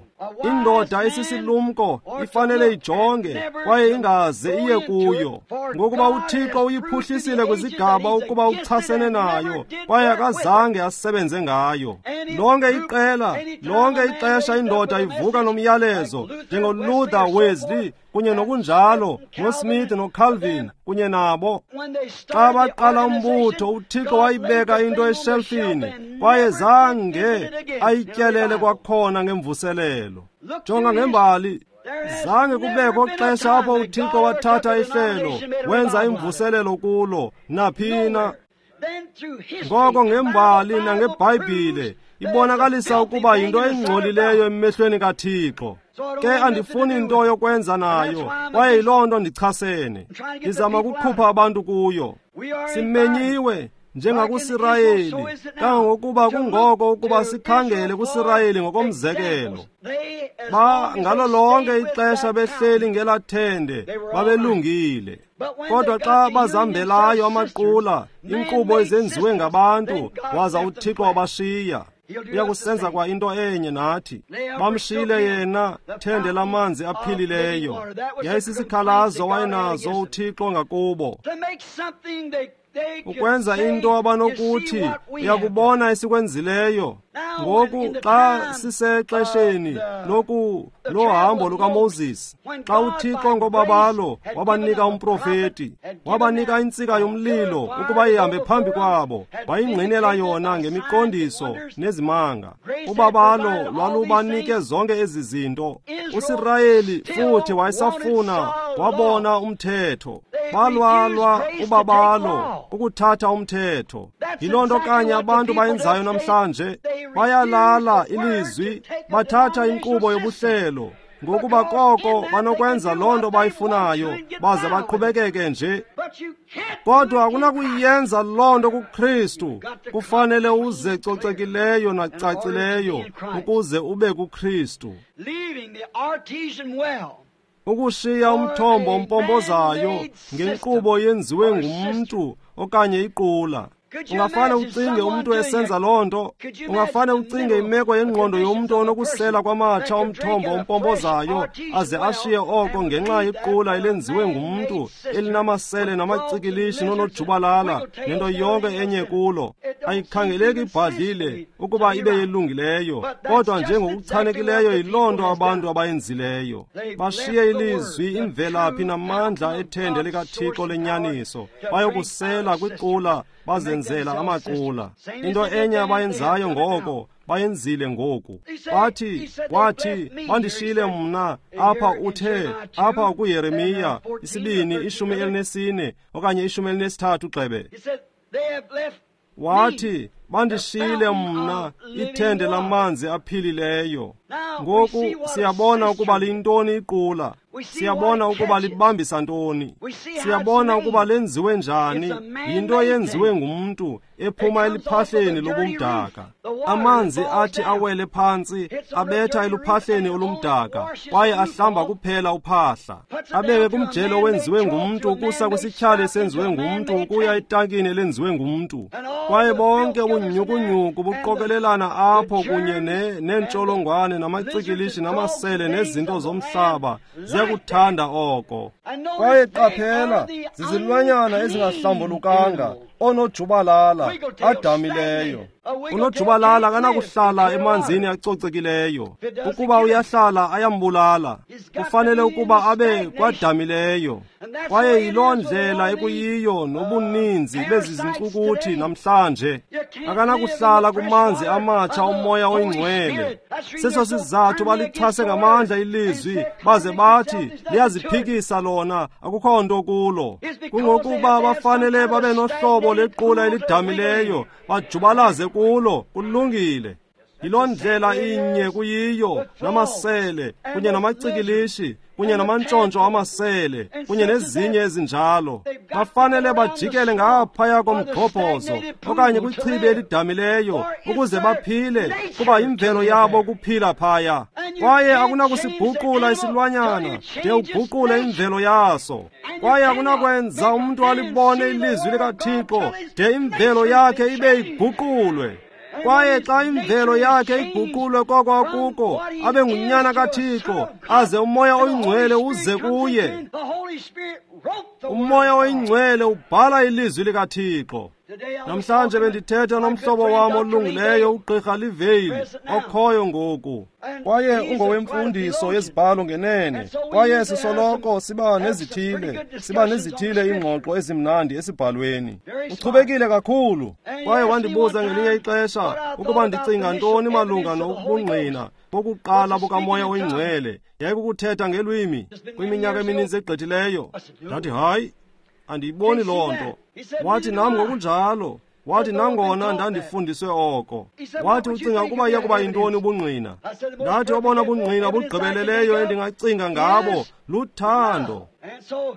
[SPEAKER 1] Indoda esisilumko ifanele ijonge kwaye ingaze iye kuyo, ngokuba uThixo uyiphuhlisile kwizigaba ukuba uchasene nayo, kwaye akazange asebenze ngayo. Lonke iqela, lonke ixesha indoda ivuka nomyalezo, njengoLuther, Wesley kunye nokunjalo, noSmith noCalvin kunye nabo. Xa baqala umbutho, uThixo wayibeka into eshelfini kwaye zange ayityelele kwakhona ngemvuselelo. Jonga ngembali, zange kubekho xesha apho uThixo wathatha ihlelo wenza imvuselelo kulo naphina. Ngoko ngembali nangeBhayibhile ibonakalisa ukuba yinto engcolileyo emehlweni kaThixo. Ke andifuni into yokwenza nayo, kwaye yiloo nto ndichasene. Ndizama ukukhupha abantu kuyo. Simenyiwe njengakuSirayeli, kangangokuba kungoko ukuba sikhangele kuSirayeli ngokomzekelo. Ba ngalo lonke ixesha behleli ngelathende babelungile. Kodwa xa bazambelayo amaqula, inkqubo ezenziwe ngabantu, waza uThixo wabashiya. Uyakusenza kwa into enye nathi. Bamshiyile yena thende lamanzi aphilileyo. Yayisisikhalazo wayenazo uThixo ngakubo. Ukwenza into abanokuthi uyakubona esikwenzileyo. Ngoku xa sisexesheni lohambo lukaMoses, xa uThixo ngobabalo wabanika umprofeti, wabanika intsika yomlilo ukuba ihambe phambi kwabo, wayingqinela yona ngemiqondiso nezimanga. Ubabalo lwalubanike zonke ezi zinto. USirayeli futhi wayesafuna, wabona umthetho. Balwalwa ubabalo ukuthatha umthetho. Yiloo nto kanye abantu bayenzayo namhlanje. Bayalala ilizwi, bathatha inkqubo yobuhlelo, ngokuba koko banokwenza loo nto bayifunayo baze baqhubekeke nje. Kodwa akunakuyenza loo nto kuKristu. Kufanele uze cocekileyo nacacileyo ukuze ube kuKristu. Ukushiya umthombo ompompozayo ngenkqubo yenziwe ngumntu okanye iqula. Ungafane ucinge umntu esenza loo nto. Ungafane ucinge imeko yengqondo yomntu onokusela kwamatsha omthombo ompompozayo aze ashiye oko ngenxa yequla elenziwe ngumntu elinamasele namacikilishi nonojubalala nento yonke enye kulo. Ayikhangeleki ibhadlile ukuba ibe yelungileyo, kodwa njengokuchanekileyo yiloo nto abantu abayenzileyo. Bashiye ilizwi, imvelaphi namandla ethende likaThixo lenyaniso, bayokusela kwiqula bazenzela amaqula. Into enye abayenzayo ngoko bayenzile ngoku. Bathi, wathi, bandishiyile mna apha, uthe apha kuYeremiya isibini 14 okanye 13 gxebe. Wathi, bandishiyile mna ithende lamanzi aphilileyo. Ngoku siyabona ukuba liyintoni iqula. Siyabona ukuba libambisa ntoni. Siyabona ukuba lenziwe njani. Yinto eyenziwe ngumntu ephuma eliphahleni lobumdaka. Amanzi athi awele phantsi abetha eluphahleni olumdaka kwaye ahlamba kuphela uphahla. Abeke kumjelo owenziwe ngumntu ukusa kwisityhali esenziwe ngumntu ukuya etankini elenziwe ngumntu. Kwaye bonke ubunyhukunyhuku buqokelelana apho kunye neentsholongwane namacikilishi namasele nezinto zomhlaba ziyakuthanda oko. Kwaye qaphela, zizilwanyana ezingahlambulukanga, onojubalala adamileyo. Unojubalala akanakuhlala emanzini acocekileyo. Ukuba uyahlala ayambulala. Kufanele ukuba abe kwadamileyo. Kwaye yiloo ndlela ekuyiyo nobuninzi bezi zincukuthi namhlanje. Akanakuhlala kumanzi amatsha omoya oyingcwele. Seso sizathu balichase ngamandla ilizwi baze bathi liyaziphikisa lona, akukho nto kulo. Kungokuba bafanele babe nohlobo lequla elidamileyo bajubalaze kulo. Kulungile. Yiloo ndlela inye kuyiyo namasele kunye namacikilishi kunye namantshontsho amasele kunye nezinye ezinjalo. Bafanele bajikele ngaphaya komgxobhozo okanye kwichibi elidamileyo ukuze baphile, kuba imvelo yabo kuphila phaya. Kwaye akunakusiguqula isilwanyana de uguqule imvelo yaso. Kwaye akunakwenza umntu alibone ilizwi likaThixo de imvelo yakhe ibe iguqulwe. Kwaye xa imvelo yakhe iguqulwe koko akuko, abe ngunyana kaThixo, aze uMoya oyiNgcwele uze kuye. UMoya oyiNgcwele ubhala ilizwi likaThixo. Namhlanje bendithetha nomhlobo wam olungileyo uGqirha Livale okhoyo ngoku. Kwaye ungowemfundiso yezibhalo ngenene. Kwaye sisoloko siba nezithile iingxoxo ezimnandi esibhalweni. Uchubekile kakhulu. Kwaye wandibuza ngelinye ixesha ukuba ndicinga ntoni malunga nobungqina bokuqala bukaMoya oyiNgcwele yayikukuthetha ngelwimi kwiminyaka emininzi egqithileyo. Ndathi hayi, andiyiboni loo nto. Wathi nam ngokunjalo. Wathi nangona ndandifundiswe oko. Wathi ucinga ukuba iya kuba yintoni ubungqina? Ndathi obona bungqina bugqibeleleyo endingacinga ngabo luthando.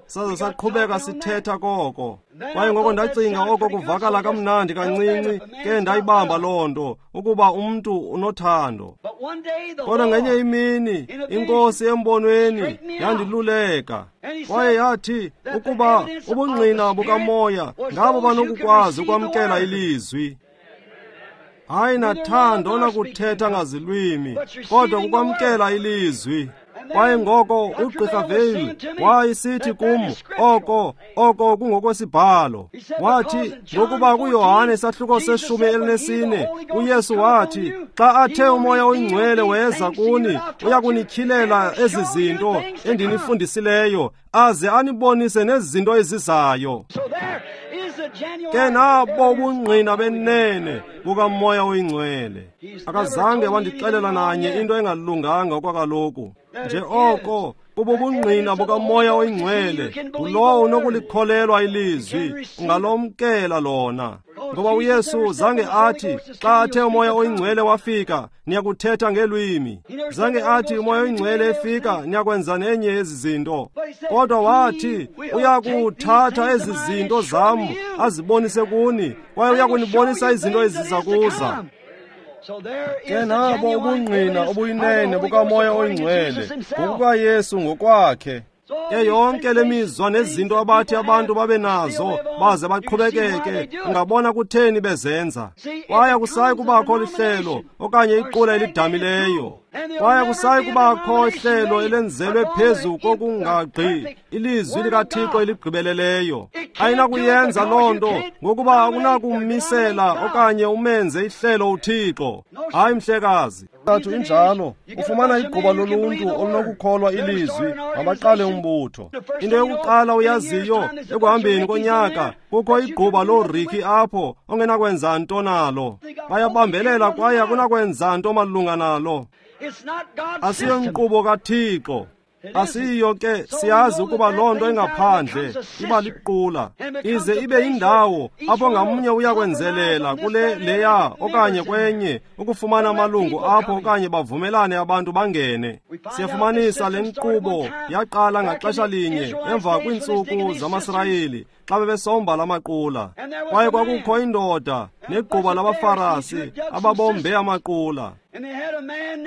[SPEAKER 1] Saze saqhubeka sithetha koko. Kwaye ngoko ndacinga oko kuvakala kamnandi kancinci, ke ndayibamba loo nto ukuba umntu unothando. Kodwa ngenye imini iNkosi embonweni yandiluleka. Kwaye yathi ukuba ubungqina bukamoya ngabo banokukwazi ukwamkela ilizwi. Hayi nathando nakuthetha ngazilwimi, kodwa kukwamkela ilizwi. Kwaye ngoko uGqirha Vale wayesithi kum oko kungokwesibhalo. Wathi ngokuba kuYohane isahluko 14 uYesu wathi xa athe uMoya oyiNgcwele weza kuni uyakunityhilela ezi zinto endinifundisileyo aze anibonise nezinto ezizayo. Ke nabo ubungqina benene bukaMoya oyiNgcwele. Akazange wandixelela nanye into engalunganga okwakaloku. Nje oko kububungqina bukaMoya oyiNgcwele, ngulowo unokulikholelwa ilizwi, ungalomkela lona. Ngoba uYesu zange athi xa athe uMoya oyiNgcwele wafika niyakuthetha ngelwimi. Zange athi uMoya oyiNgcwele efika niyakwenza nenye ezi zinto. Kodwa wathi uyakuthatha ezi zinto zam azibonise kuni, kwaye uyakunibonisa izinto eziza kuza. Ke nabo ubungqina obuyinene bukaMoya oyiNgcwele ngokukaYesu ngokwakhe. Ke yonke le mizwa nezinto abathi abantu babe nazo baze baqhubekeke, ungabona kutheni bezenza. Kwaye akusayi kubakho lihlelo okanye iqula elidamileyo. Kwaye akusayi kubakho ihlelo elenzelwe phezu kokungagqi ilizwi likaThixo eligqibeleleyo. Ayinakuyenza loo nto ngokuba akunakumisela okanye umenze ihlelo uThixo. Hayi mhlekazi. Thathu injalo, ufumana igquba loluntu olunokukholwa ilizwi, mabaqale umbutho. Into yokuqala uyaziyo, ekuhambeni konyaka kukho igquba looriki apho ongenakwenza nto nalo. Bayabambelela kwaye akunakwenza nto malunga nalo. Asiyo nkqubo kaThixo. Asiyo ke, siyazi ukuba loo nto engaphandle iba liqula, ize ibe yindawo apho ngamnye uyakwenzelela kule leya okanye kwenye ukufumana amalungu apho okanye bavumelane abantu bangene. Siyafumanisa le nkqubo yaqala ngaxesha linye emva kwiintsuku zamaSirayeli xa bebesomba lamaqula. Kwaye kwakukho indoda negquba labaFarasi ababombe amaqula.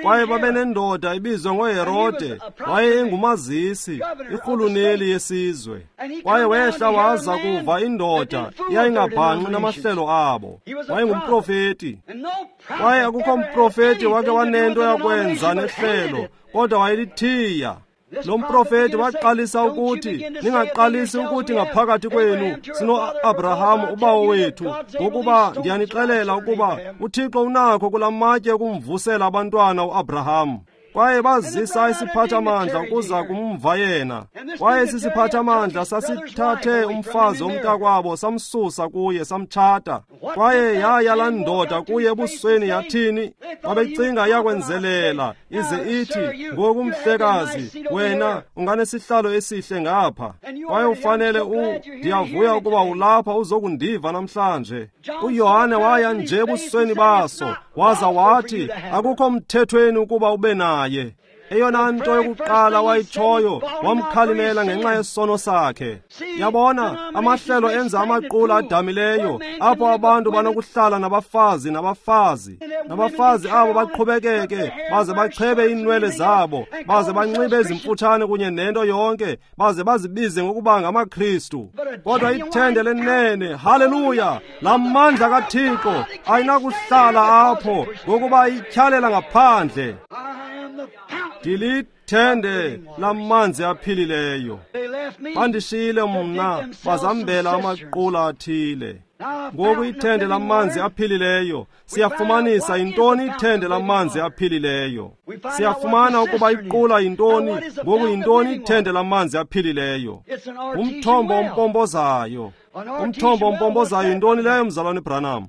[SPEAKER 1] Kwaye babenendoda ibizwa ngoHerode, waye engumazisi, irhuluneli yesizwe. Kwaye wehla waza kuva indoda eyayingabhanqi namahlelo abo. Wayengumprofeti. Kwaye akukho mprofeti wake wanento yakwenza nehlelo, kodwa wayelithiya. Lo mprofeti waqalisa ukuthi, ningaqalisi ukuthi ngaphakathi kwenu sino-Abrahamu ubawo wethu, ngokuba ndiyanixelela ukuba uThixo unakho kula matye ukumvusela abantwana uAbrahamu. Kwaye bazisa isiphathamandla ukuza kumva yena. Kwaye esi siphathamandla sasithathe umfazi womntakwabo samsusa kuye samtshata. Kwaye yaya laa ndoda kuye ebusweni yathini? Babecinga iyakwenzelela ize ithi, ngoku mhlekazi, wena unganesihlalo esihle ngapha. Kwaye ufanele ndiyavuya ukuba ulapha uzokundiva namhlanje. uYohane waya nje ebusweni baso waza wathi, akukho mthethweni ukuba ube naye. Eyona nto yokuqala wayitshoyo, wamkhalimela ngenxa yesono sakhe. Yabona, amahlelo enza amaqula adamileyo apho abantu banokuhlala nabafazi nabafazi. Nabafazi abo baqhubekeke baze bachebe iinwele zabo, baze banxibe ezimfutshane kunye nento yonke, baze bazibize ngokuba ngamaKristu. Kodwa ithende lenene, haleluya, la mandla kaThixo ayinakuhlala apho ngokuba ityhalela ngaphandle. Ithende lamanzi aphilileyo. Bandishiyile mna bazambela amaqula athile. Ngoku ithende lamanzi aphilileyo, siyafumanisa yintoni ithende lamanzi aphilileyo. Siyafumana ukuba iqula yintoni, ngoku yintoni ithende lamanzi aphilileyo. Umthombo ompompozayo. Umthombo ompompozayo yintoni leyo, mzalwane Branham?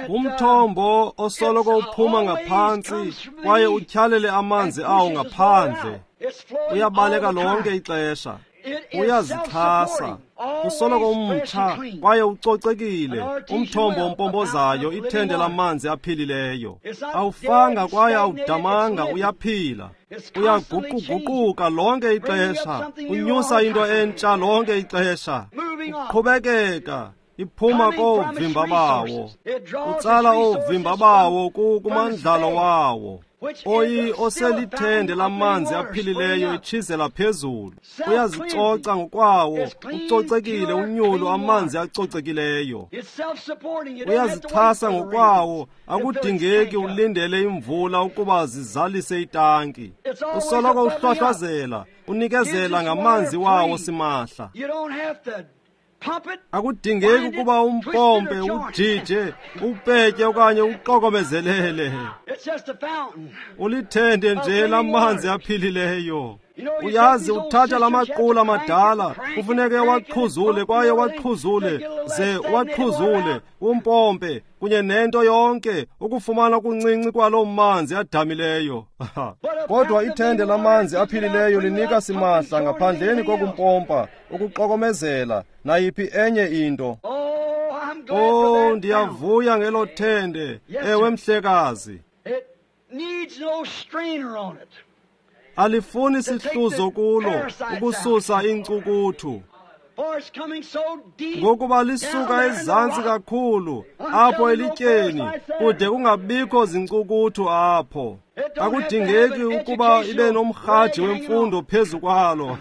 [SPEAKER 1] Umthombo osoloko uphuma ngaphantsi kwaye utyhalele amanzi awo ngaphandle. Uyabaleka lonke ixesha. Uyazixhasa, usoloko umtsha kwaye ucocekile. Umthombo ompompozayo, ithende lamanzi aphilileyo. Awufanga kwaye awudamanga, uyaphila. Uyaguquguquka lonke ixesha, unyusa into entsha lonke ixesha. Uqhubekeka iphuma koovimba bawo, utsala oovimba bawo kumandlalo wawo. Oyi oselithende lamanzi aphilileyo itshizela phezulu. Uyazicoca ngokwawo, ucocekile, unyulu, amanzi acocekileyo. Uyazixhasa ngokwawo, akudingeki ulindele imvula ukuba zizalise itanki. Usoloko uhlwahlwazela, unikezela ngamanzi wawo simahla. Akudingeki ukuba umpompe, ujije, upetye okanye uqokomezelele. Ulithende nje lamanzi aphilileyo. Uyazi, uthatha lamaqula amadala, kufuneke waqhuzule kwaye waqhuzule, ze waqhuzule, umpompe kunye nento yonke ukufumana okuncinci kwaloo manzi adamileyo. Kodwa ithende lamanzi aphilileyo linika simahla ngaphandleni kokumpompa, ukuqokomezela, nayiphi enye into. Oh, ndiyavuya ngelo thende. Ewe, mhlekazi. Alifuni sihluzo kulo ukususa iinkcukuthu, ngokuba lisuka ezantsi kakhulu apho elityeni, kude kungabikho zinkcukuthu apho. Akudingeki ukuba ibe nomrhaji wemfundo phezu kwalo.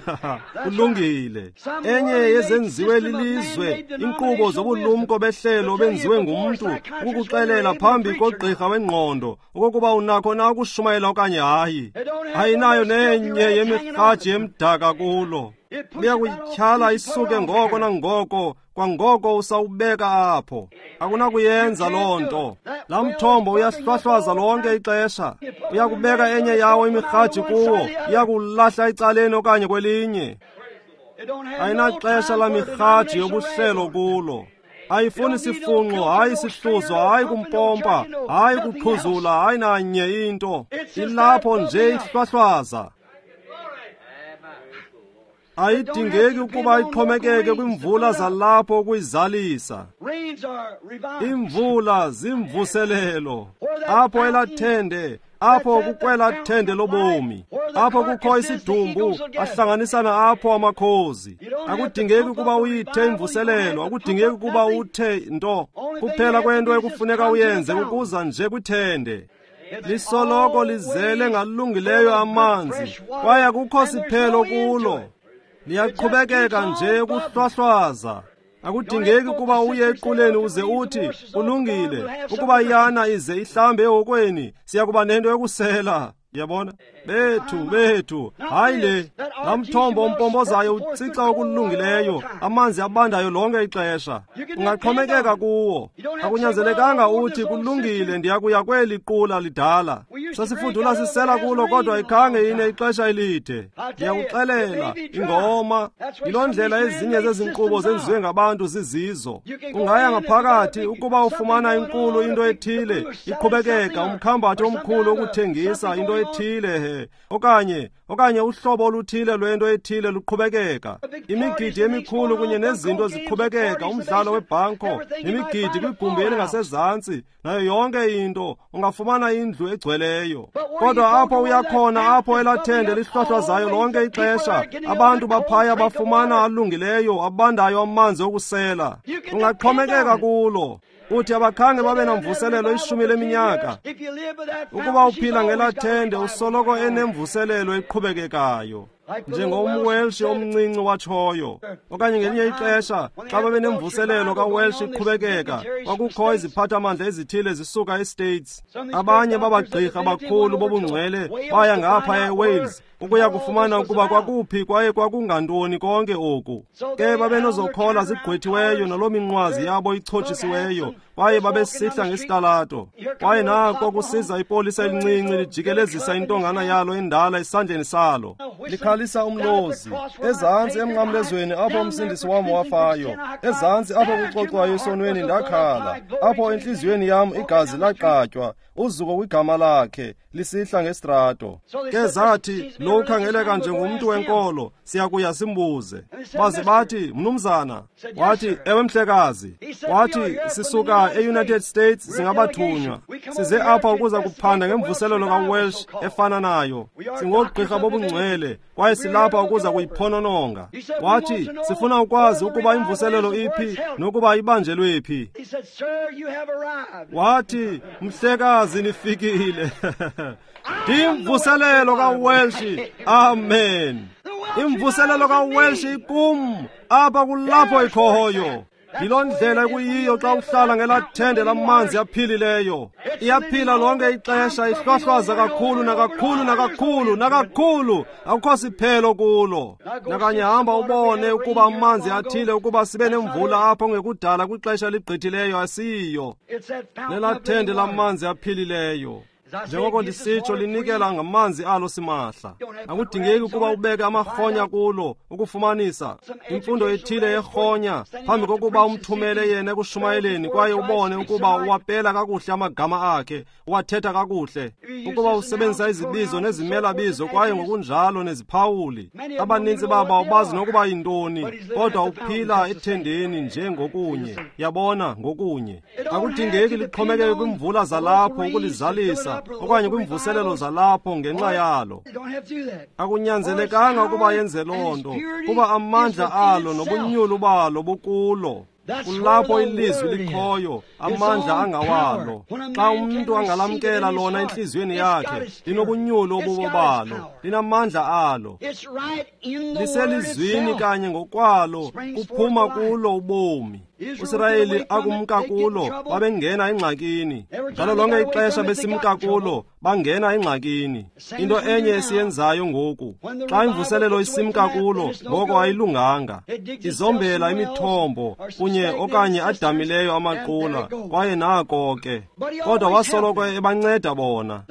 [SPEAKER 1] Kulungile. Enye yezenziwe lilizwe, inkqubo zobulumko behlelo benziwe ngumntu ukukuxelela phambi kogqirha wengqondo okokuba unakho na ukushumayela okanye hayi. Ayinayo nenye yemirhaji emdaka kulo. Liyakuyityhala isuke ngoko nangoko, kwangoko usawubeka apho. Akunakuyenza loo nto. Laa mthombo uyahlwahlwaza lonke ixesha. Uyakubeka enye yawo imirhaji kuwo, iyakulahla ecaleni okanye kwelinye. Ayinaxesha lamirhaji yobuhlelo kulo. Ayifuni sifunxo, hayi sihluzo, hayi kumpompa, hayi kuqhuzula, hayi nanye into. Ilapho nje ihlwahlwaza. Ayidingeki ukuba ixhomekeke kwimvula zalapho ukuyizalisa. Imvula zimvuselelo. Apho elathende, apho kukwela thende lobomi, apho kukho isidumbu, ahlanganisana apho amakhozi. Akudingeki ukuba uyithe imvuselelo, akudingeki ukuba uthe nto. Kuphela kwento ekufuneka uyenze kukuza nje kwithende. Lisoloko lizele ngalungileyo amanzi, kwaye akukho siphelo kulo. Liyaqhubekeka nje ukuhlwahlwaza. Akudingeki ukuba uye equleni uze uthi, kulungile, ukuba iyana ize ihlambe ehokweni, siya kuba nento yokusela. Yabona? Bethu, bethu, hayi le. Laa mthombo ompompozayo utsica okulungileyo, amanzi abandayo lonke ixesha. Ungaxhomekeka kuwo. Akunyanzelekanga uthi, kulungile, ndiyakuya kweli qula lidala. Sasifudula sisela kulo, kodwa ikhange ine ixesha elide. Ndiyakuxelela, ingoma. Yiloo ndlela ezinye zezi nkqubo zenziwe ngabantu zizizo. Ungaya ngaphakathi ukuba ufumana inkulu into ethile, iqhubekeka, umkhambathi omkhulu wokuthengisa into ethile he, okanye uhlobo oluthile lwento ethile luqhubekeka. Imigidi emikhulu kunye nezinto ziqhubekeka, umdlalo webhanko nemigidi kwigumbi elingasezantsi, nayo yonke into, ungafumana indlu egcweleyo. Kodwa apho uyakhona, apho elathende lihlohlwazayo lonke ixesha, abantu baphaya bafumana alungileyo, abandayo amanzi okusela. Ungaxhomekeka kulo. Uthi abakhange babe namvuselelo 10leminyaka. Ukuba uphila ngelathende, usoloko enemvuselelo eqhubekekayo. NjengomWelsh omncinci watshoyo, okanye ngelinye ixesha xa babenemvuselelo kaWelsh iqhubekeka, kwakukho iziphathamandla ezithile zisuka eStates. Abanye babagqirha bakhulu bobungcwele baya ngapha eWales ukuya kufumana ukuba kwakuphi kwaye kwakungantoni konke oku. Ke babenozokhola zigqwethiweyo naloo minqwazi yabo ichotshisiweyo, kwaye babesihla ngesitalato. Kwaye nako kusiza ipolisa elincinci lijikelezisa intongana yalo endala esandleni salo, likhalisa umlozi. Ezantsi emnqamlezweni apho umsindisi wam wafayo, ezantsi apho kucocwayo esonweni ndakhala, apho entliziyweni yam igazi laqatywa, uzuko kwigama lakhe, lisihla ngesitrato. Ke zathi, lo ukhangeleka njengomntu wenkolo, siyakuya simbuze. Baze bathi, mnumzana. Wathi, ewe mhlekazi. Wathi, sisuka e-United States, singabathunywa. Size apha ukuza kuphanda ngemvuselelo kaWelsh efana nayo. Singoogqirha bobungcwele, kwaye silapha ukuza kuyiphonononga. Wathi, sifuna ukwazi ukuba imvuselelo iphi nokuba ibanjelwe phi. Wathi, mhlekazi, nifikile. Imvuselelo kaWelsh, amen. Imvuselelo kaWelsh ikum, apha kulapho ikhoyo. Yiloo ndlela ekuyiyo xa uhlala ngelaa thende lamanzi aphilileyo. Iyaphila lonke ixesha, ihlwahlwaza kakhulu nakakhulu nakakhulu nakakhulu, akukho siphelo kulo. Nakanye hamba ubone ukuba amanzi athile, ukuba sibe nemvula apho ngekudala kwixesha eligqithileyo, asiyiyo. Nelaa thende lamanzi aphilileyo, njengoko ndisitsho, linikela ngamanzi alo simahla. Akudingeki ukuba ubeke amarhonya kulo ukufumanisa imfundo ethile yerhonya phambi kokuba umthumele yena ekushumayeleni, kwaye ubone ukuba uwapela kakuhle amagama akhe, uwathetha kakuhle, ukuba usebenzisa izibizo nezimelabizo kwaye ngokunjalo neziphawuli. Abanintsi babo awubazi nokuba yintoni, kodwa uphila ethendeni nje ngokunye, yabona, ngokunye. Akudingeki lixhomekeke kwimvula zalapho ukulizalisa, okanye kwimvuselelo zalapho ngenxa yalo. Akunyanzelekanga ukuba yenze loo nto, kuba amandla alo nobunyulu balo bukulo. Kulapho ilizwi likhoyo, amandla angawalo. Xa umntu angalamkela lona entliziyweni yakhe, linobunyulu obubo balo, linamandla alo. Liselizwini kanye ngokwalo, kuphuma kulo ubomi. USirayeli akumka kulo, babengena engxakini. Ngalo lonke ixesha besimka kulo, bangena engxakini. Into enye esiyenzayo ngoku, xa imvuselelo isimka kulo, ngoko ayilunganga. Izombela imithombo kunye okanye adamileyo amaqula, kwaye nako ke. Kodwa wasoloko ebanceda bona,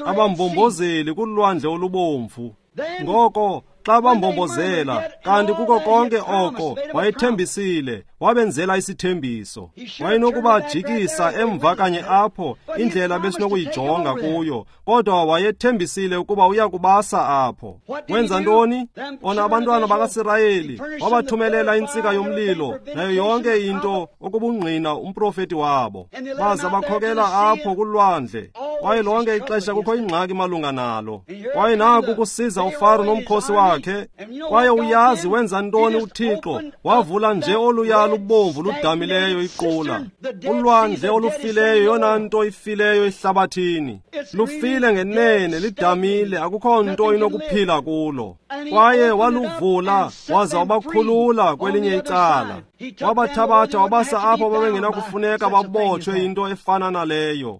[SPEAKER 1] abambombozeli kulwandle olubomvu. Ngoko xa bambombozela, kanti kuko konke oko wayethembisile, wabenzela isithembiso. Wayenokubajikisa emva kanye apho, indlela besinokuyijonga kuyo, kodwa wayethembisile ukuba uya kubasa apho. Wenza ntoni? Ona abantwana bakaSirayeli wabathumelela intsika yomlilo nayo yonke into okubungqina umprofeti wabo, baza bakhokela apho kulwandle. Kwaye lonke ixesha kukho ingxaki malunga nalo. Kwaye naku kusiza uFaro nomkhosi wakhe. Kwaye uyazi wenza ntoni uThixo? Wavula nje oluya lubomvu ludamileyo iqula. Ulwandle olufileyo, yona nto ifileyo ehlabathini. Lufile ngenene, lidamile, akukho nto inokuphila kulo. Kwaye waluvula waza wabakhulula kwelinye icala. Wabathabatha wabasa apho babengenakufuneka babotshwe into efana naleyo.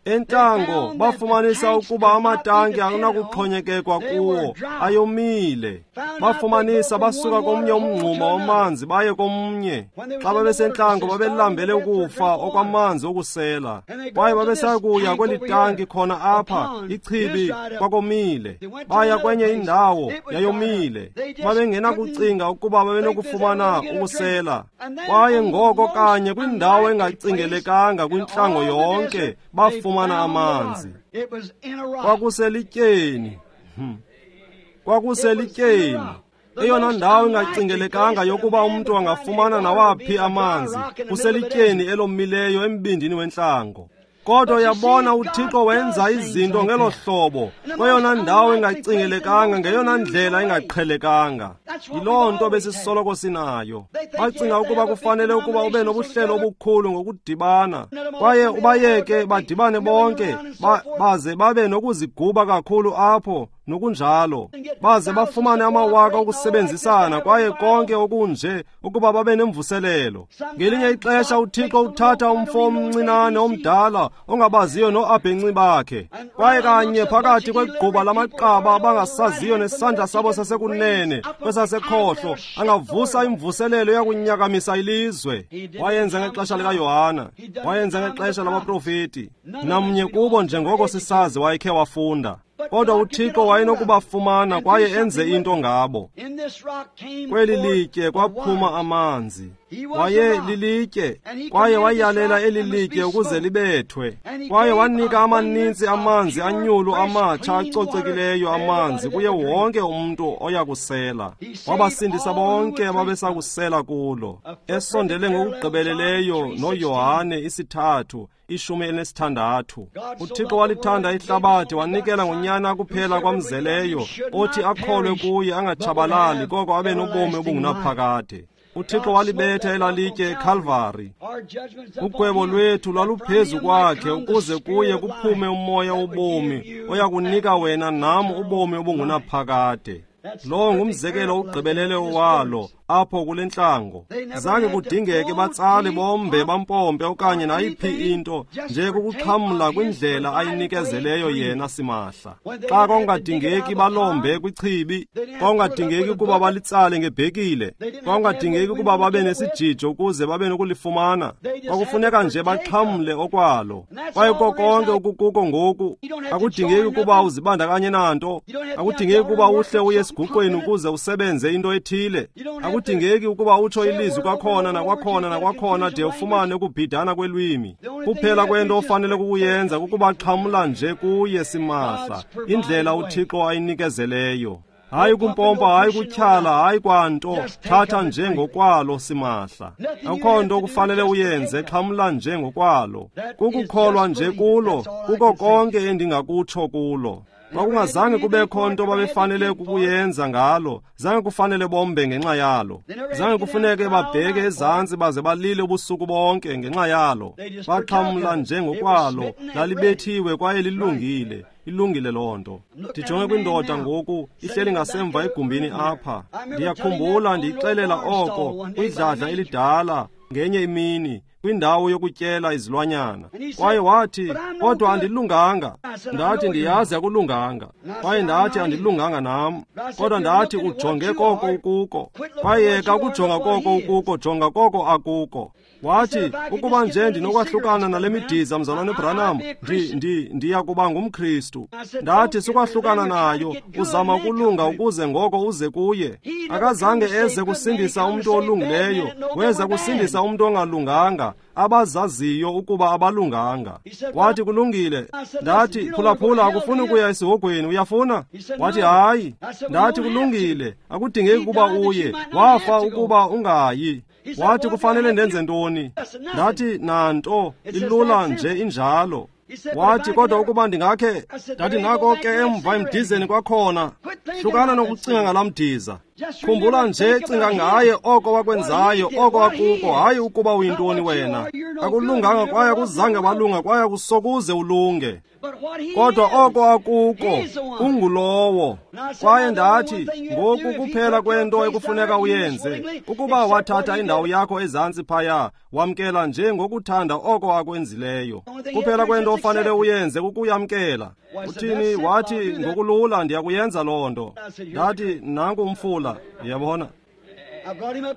[SPEAKER 1] Entlango bafumanisa ukuba amatanki akunakuxhonyekekwa kuwo, ayomile. Bafumanisa basuka komnye umngxuma wamanzi baye komnye. Xa babesentlango babelambele ukufa okwamanzi okusela. Kwaye babesakuya kweli tanki khona apha, ichibi, kwakomile. Baya kwenye indawo, yayomile. Babengenakucinga ukuba babenokufumana ukusela. Kwaye ngoko kanye kwindawo engacingelekanga kwintlango yonke bafumana amanzi. Kwakuselityeni. Kwakuselityeni. Eyona ndawo ingacingelekanga yokuba umntu angafumana nawaphi amanzi kuselityeni elomileyo embindini wentlango. Kodwa yabona, uThixo wenza izinto ngelo hlobo, kweyona ndawo engacingelekanga, ngeyona ndlela engaqhelekanga. Yiloo nto besisoloko sinayo. Bacinga ukuba kufanele ukuba ube nobuhlelo obukhulu ngokudibana, kwaye ubayeke badibane bonke, baze babe nokuziguba kakhulu apho nokunjalo, baze bafumane amawaka okusebenzisana kwaye konke okunje ukuba babe nemvuselelo. Ngelinye ixesha uThixo uthatha umfo omncinane omdala ongabaziyo noabhenci bakhe, kwaye kanye phakathi kwegquba lamaqaba abangasaziyo nesandla sabo sasekunene kwesasekhohlo angavusa imvuselelo yakunyakamisa ilizwe. Wayenza ngexesha likaYohana, wayenza ngexesha labaprofeti. Namnye kubo njengoko sisazi wayekhe wafunda, kodwa uThixo wayenokubafumana kwaye enze into ngabo. Kweli litye kwaphuma amanzi. Waye lilitye, kwaye wayalela eli litye ukuze libethwe, kwaye wanika amaninzi amanzi anyulu amatsha acocekileyo amanzi kuye wonke umntu oyakusela. Wabasindisa bonke ababesakusela kulo. Esondele ngokugqibeleleyo noYohane 3:16. uThixo walithanda ihlabathi wanikela ngonyana kuphela kwamzeleyo, othi akholwe kuye angatshabalali koko abe nobomi obungunaphakade. uThixo walibetha elalitye eKalvari. Ugwebo lwethu lwaluphezu kwakhe ukuze kuye kuphume umoya wobomi oyakunika wena nam ubomi obungunaphakade. Lo ngumzekelo ogqibelele walo apho kule ntlango. Zange kudingeke batsale bombe bampompe okanye nayiphi into, nje kukuxhamla kwindlela ayinikezeleyo yena simahla. Xa kwakungadingeki balombe kwichibi, kwakungadingeki ukuba balitsale ngebhekile, kwakungadingeki ukuba babe nesijijo ukuze babe nokulifumana. Kwakufuneka nje baxhamle okwalo. Kwaye konke okukuko ngoku, akudingeki ukuba uzibandakanye nanto, akudingeki ukuba uhle uye esiguqweni ukuze usebenze into ethile, akudingeki ukuba utsho ilizwi kwakhona nakwakhona nakwakhona de ufumane ukubhidana kwelwimi. Kuphela kwento ofanele kukuyenza kukuba xhamla nje kuye simahla, indlela uThixo ayinikezeleyo. Hayi kumpompa, hayi kutyhala, hayi kwanto, thatha nje ngokwalo simahla. Akukho nto kufanele uyenze, xhamla nje ngokwalo. Kukukholwa nje kulo, kuko konke endingakutsho kulo. Kwakungazange kubekho nto babefanele ukuyenza ngalo, zange kufanele bombe ngenxa yalo, zange kufuneke babheke ezantsi baze balile ubusuku bonke ngenxa yalo. Baxhamla nje ngokwalo, lalibethiwe kwaye lilungile. Ilungile loo nto. Ndijonge kwindoda ngoku ihleli ngasemva egumbini apha. Ndiyakhumbula ndiyixelela oko kwidladla elidala ngenye imini kwindawo yokutyela izilwanyana. Kwaye wathi, kodwa andilunganga. Ndathi, ndiyazi akulunganga. Kwaye ndathi, andilunganga nam. Kodwa ndathi, ujonge koko ukuko. Kwaye yeka ukujonga koko ukuko, jonga koko akuko. Wathi, ukuba nje ndinokwahlukana nale midiza, mzalwane Branham, ndiya kuba ngumKristu. Ndathi, sukwahlukana nayo, uzama ukulunga ukuze ngoko uze kuye. Akazange eze kusindisa umntu olungileyo, weza kusindisa umntu ongalunganga, abazaziyo ukuba abalunganga. Wathi, kulungile. Ndathi, phulaphula, akufuni ukuya esihogweni, uyafuna? Wathi, hayi. Ndathi, kulungile, akudingeki ukuba uye, wafa ukuba ungayi. Wathi, kufanele ndenze ntoni? Ndathi, nanto, ilula nje injalo. Wathi, kodwa ukuba ndingakhe. Ndathi, nako ke emva emdizeni kwakhona. Hlukana nokucinga ngalaa mdiza. Khumbula nje, cinga ngaye, oko wakwenzayo, oko akuko, hayi ukuba uyintoni wena. Akulunganga kwaye akuzange walunga kwaye akusokuze ulunge. Kodwa oko akuko, ungulowo. Kwaye ndathi, ngoku kuphela kwento ekufuneka uyenze, ukuba wathatha indawo yakho ezantsi phaya, wamkela nje ngokuthanda oko akwenzileyo. Kuphela kwento ofanele uyenze kukuyamkela. Uthini? Wathi, ngokulula ndiyakuyenza loo nto. Ndathi, nanku umfula, uyabona.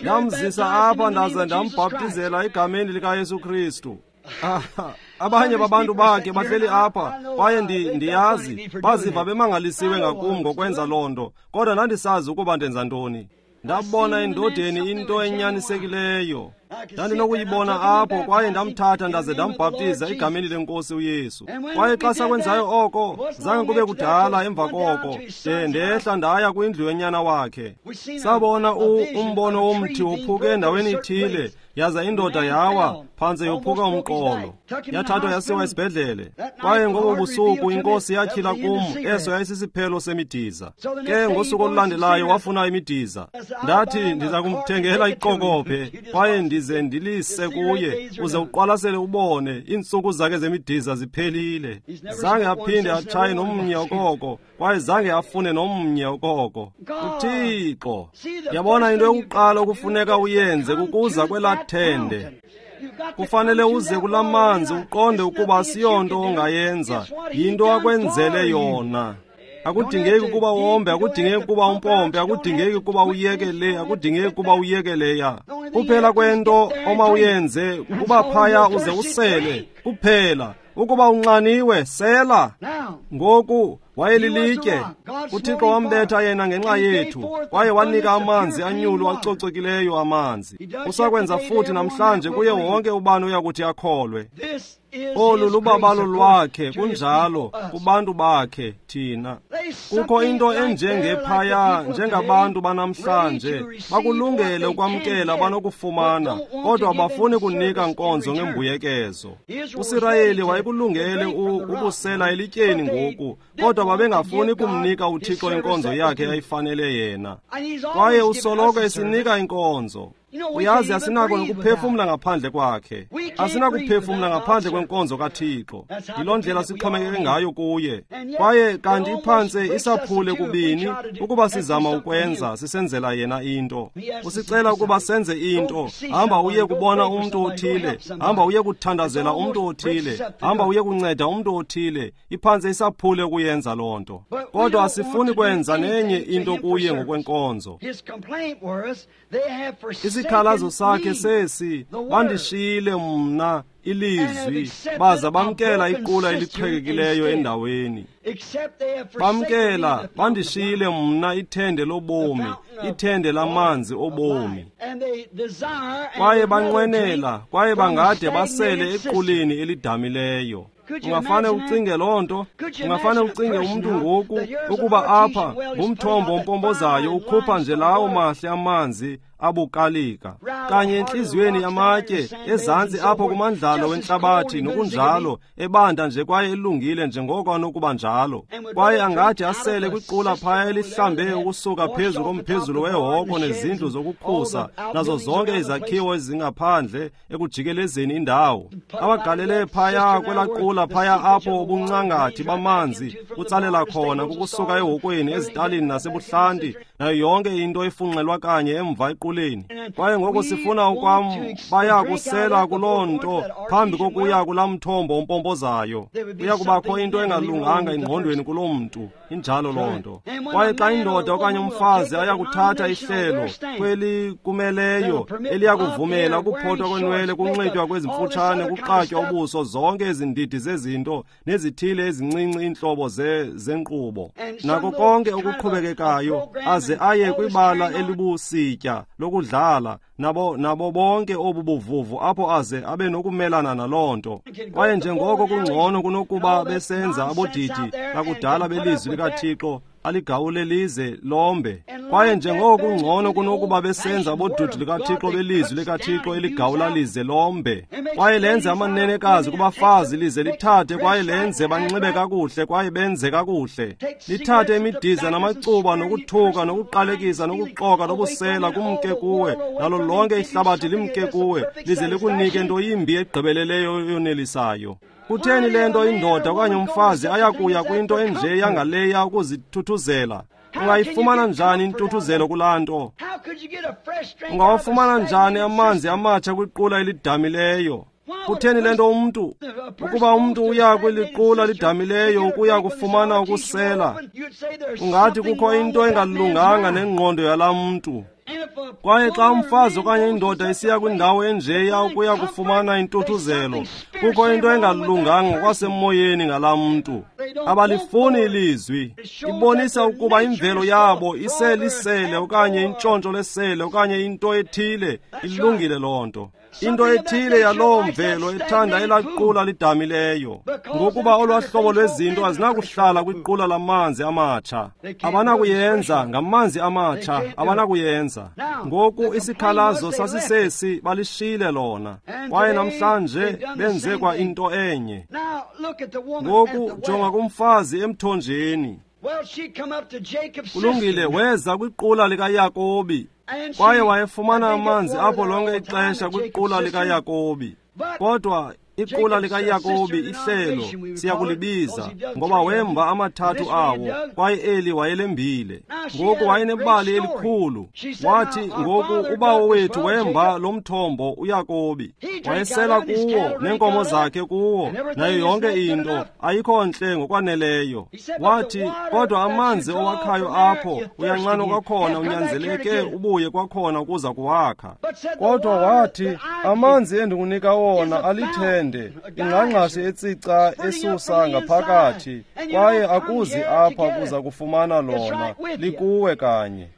[SPEAKER 1] Ndamzisa apha ndaze ndambhaptizela egameni likaYesu Kristu. Abanye babantu bakhe bahleli apha kwaye ndiyazi baziva bemangalisiwe ngakum ngokwenza loo nto, kodwa ndandisazi ukuba ndenza ntoni. Ndabona endodeni into enyanisekileyo. Ndandinokuyibona apho, kwaye ndamthatha ndaze ndambhaptiza egameni lenkosi uYesu. Kwaye xa sakwenzayo oko, zange kube kudala emva koko, de ndehla ndaya kwindlu yonyana wakhe. Sabona umbono womthi wophuke endaweni ithile, yaza indoda yawa phantse yophuka umqolo, yathathwa yasiwa esibhedlele. Kwaye ngobo busuku inkosi yatyhila kum eso yayisisiphelo semidiza. Ke ngosuku olulandelayo wafuna imidiza. Ndathi ndiza kumthengela iqokobhe kwaye ndize ndilise kuye, uze uqwalasele ubone iintsuku zakhe zemidiza ziphelile. Zange aphinde atshaye nomnye okoko, kwaye zange afune nomnye okoko. UThixo, yabona, into yokuqala okufuneka uyenze kukuza kwelaa thende. Kufanele uze kulaa manzi uqonde ukuba asiyonto ongayenza, yinto akwenzele yona. Akudingeki ukuba wombe, akudingeki ukuba umpompe, akudingeki ukuba uyeke le, akudingeki ukuba uyeke leya. Kuphela kwento omawuyenze kuba phaya uze usele, kuphela. Ukuba unxaniwe, sela. Ngoku wayelilitye. UThixo wambetha yena ngenxa yethu, kwaye wanika amanzi anyulu acocekileyo amanzi. Usakwenza futhi namhlanje kuye wonke ubani oyakuthi akholwe. Olu lubabalo lwakhe, kunjalo, kubantu bakhe, thina. Kukho into enjengephaya, njengabantu banamhlanje, bakulungele ukwamkela banokufumana, kodwa abafuni kunika nkonzo ngembuyekezo. USirayeli wayekulungele ukusela elityeni ngoku, kodwa babengafuni kumnika uThixo inkonzo yakhe yayifanele yena. Kwaye usoloko esinika inkonzo. Uyazi, asinako nokuphefumla ngaphandle kwakhe. Asinakuphefumla ngaphandle kwenkonzo kaThixo. Yiloo ndlela sixhomekeke ngayo kuye. Kwaye kanti iphantse isaphule kubini ukuba sizama ukwenza, sisenzela yena into. Usicela ukuba senze into. Hamba uye kubona umntu othile, hamba uye kuthandazela umntu othile, hamba uye kunceda umntu othile. Iphantse isaphule ukuyenza loo nto. Kodwa asifuni kwenza nenye into kuye ngokwenkonzo. Isikhalazo sakhe sesi, bandishiyile mna ilizwi, baza bamkela iqula eliqhekekileyo endaweni. Bamkela, bandishiyile mna ithende lobomi, ithende lamanzi obomi. Kwaye banqwenela, kwaye bangade basele equleni elidamileyo. Ungafane ucinge loo nto? Ungafane ucinge umntu ngoku ukuba apha ngumthombo ompompozayo ukhupha nje lawo mahle amanzi abukalika kanye entliziyweni yamatye ezantsi apho kumandlalo wentlabathi nokunjalo, ebanda nje kwaye elungile njengoko anokuba njalo. Kwaye angathi asele kwiqula phaya elihlambe ukusuka phezu komphezulu wehoko nezindlu zokukhusa nazo zonke izakhiwo ezingaphandle ekujikelezeni indawo, abagalele phaya kwelaa qula phaya apho ubuncangathi bamanzi butsalela khona kukusuka ehokweni, ezitalini nasebuhlanti, nayo yonke into efunxelwa kanye emva equleni. Kwaye ngoku sifuna ukwam baya kusela kuloo nto phambi kokuya kulaa mthombo umpompozayo. Kuya kubakho into engalunganga engqondweni kuloo mntu. Injalo loo nto. Kwaye xa indoda okanye umfazi ayakuthatha ihlelo kwelikumeleyo eliyakuvumela ukuphothwa kwenwele, kunxitywa kwezimfutshane, kuqatywa ubuso, zonke ezi ndidi zezinto nezithile ezincinci iintlobo zenkqubo, nako konke okuqhubekekayo, aze aye kwibala elibusitya lokudlala nabo bonke obu buvuvu apho aze abe nokumelana naloo nto. Kwaye njengoko kungcono kunokuba besenza abodidi bakudala belizwi likaThixo aligawule lize lombe. Kwaye njengoko kungcono kunokuba besenza abodudi likaThixo belizwi likaThixo eligawula lize lombe, kwaye lenze amanenekazi kubafazi lize lithathe kwaye lenze banxibe kakuhle kwaye benze kakuhle, lithathe imidiza namacuba nokuthuka nokuqalekisa nokuxoka nobusela kumke kuwe, nalo lonke ihlabathi limke kuwe, lize likunike nto yimbi egqibeleleyo yonelisayo. Kutheni le nto indoda okanye umfazi ayakuya kwinto enje yangaleya ukuzithuthuzela? Ungayifumana njani intuthuzelo kulaa nto? Ungawafumana njani amanzi amatsha kwiqula elidamileyo? Kutheni le nto umntu, ukuba umntu uya kweliqula lidamileyo ukuya kufumana ukusela, ungathi kukho into engalunganga nengqondo yalaa mntu. Kwaye xa umfazi okanye indoda isiya kwindawo enjeya ukuya kufumana intuthuzelo, kukho into engalunganga kwasemoyeni ngalaa mntu. Abalifuni ilizwi. Ibonisa ukuba imvelo yabo iselisele okanye intshontsho lesele okanye into ethile. Ilungile loo nto. Into ethile yaloo mvelo ethanda elaqula lidamileyo, ngokuba olwahlobo lwezinto azinakuhlala kwiqula lamanzi amatsha. Abanakuyenza ngamanzi amatsha, abanakuyenza. Ngoku isikhalazo sasisesi, balishile lona. Kwaye namhlanje benze kwa into enye. Ngoku jonga kumfazi emthonjeni. Kulungile, weza kwiqula likaYakobi, kwaye wayefumana amanzi apho lonke ixesha kwiqula likaYakobi. Kodwa iqula likaYakobi, ihlelo siyakulibiza, ngoba wemba amathathu awo, kwaye eli wayelembile. Ngoku wayenebali elikhulu. Wathi, ngoku ubawo wethu wemba lo mthombo uYakobi, wayesela kuwo neenkomo zakhe kuwo, nayo yonke into ayikho ntle ngokwaneleyo. Wathi, kodwa amanzi owakhayo apho uyanxanwa kwakhona, unyanzeleke ubuye kwakhona ukuza kuwakha. Kodwa wathi, amanzi endikunika wona alithende, ingqangqashe etsica esusa ngaphakathi, kwaye akuzi apha kuza kufumana lona, likuwe kanye.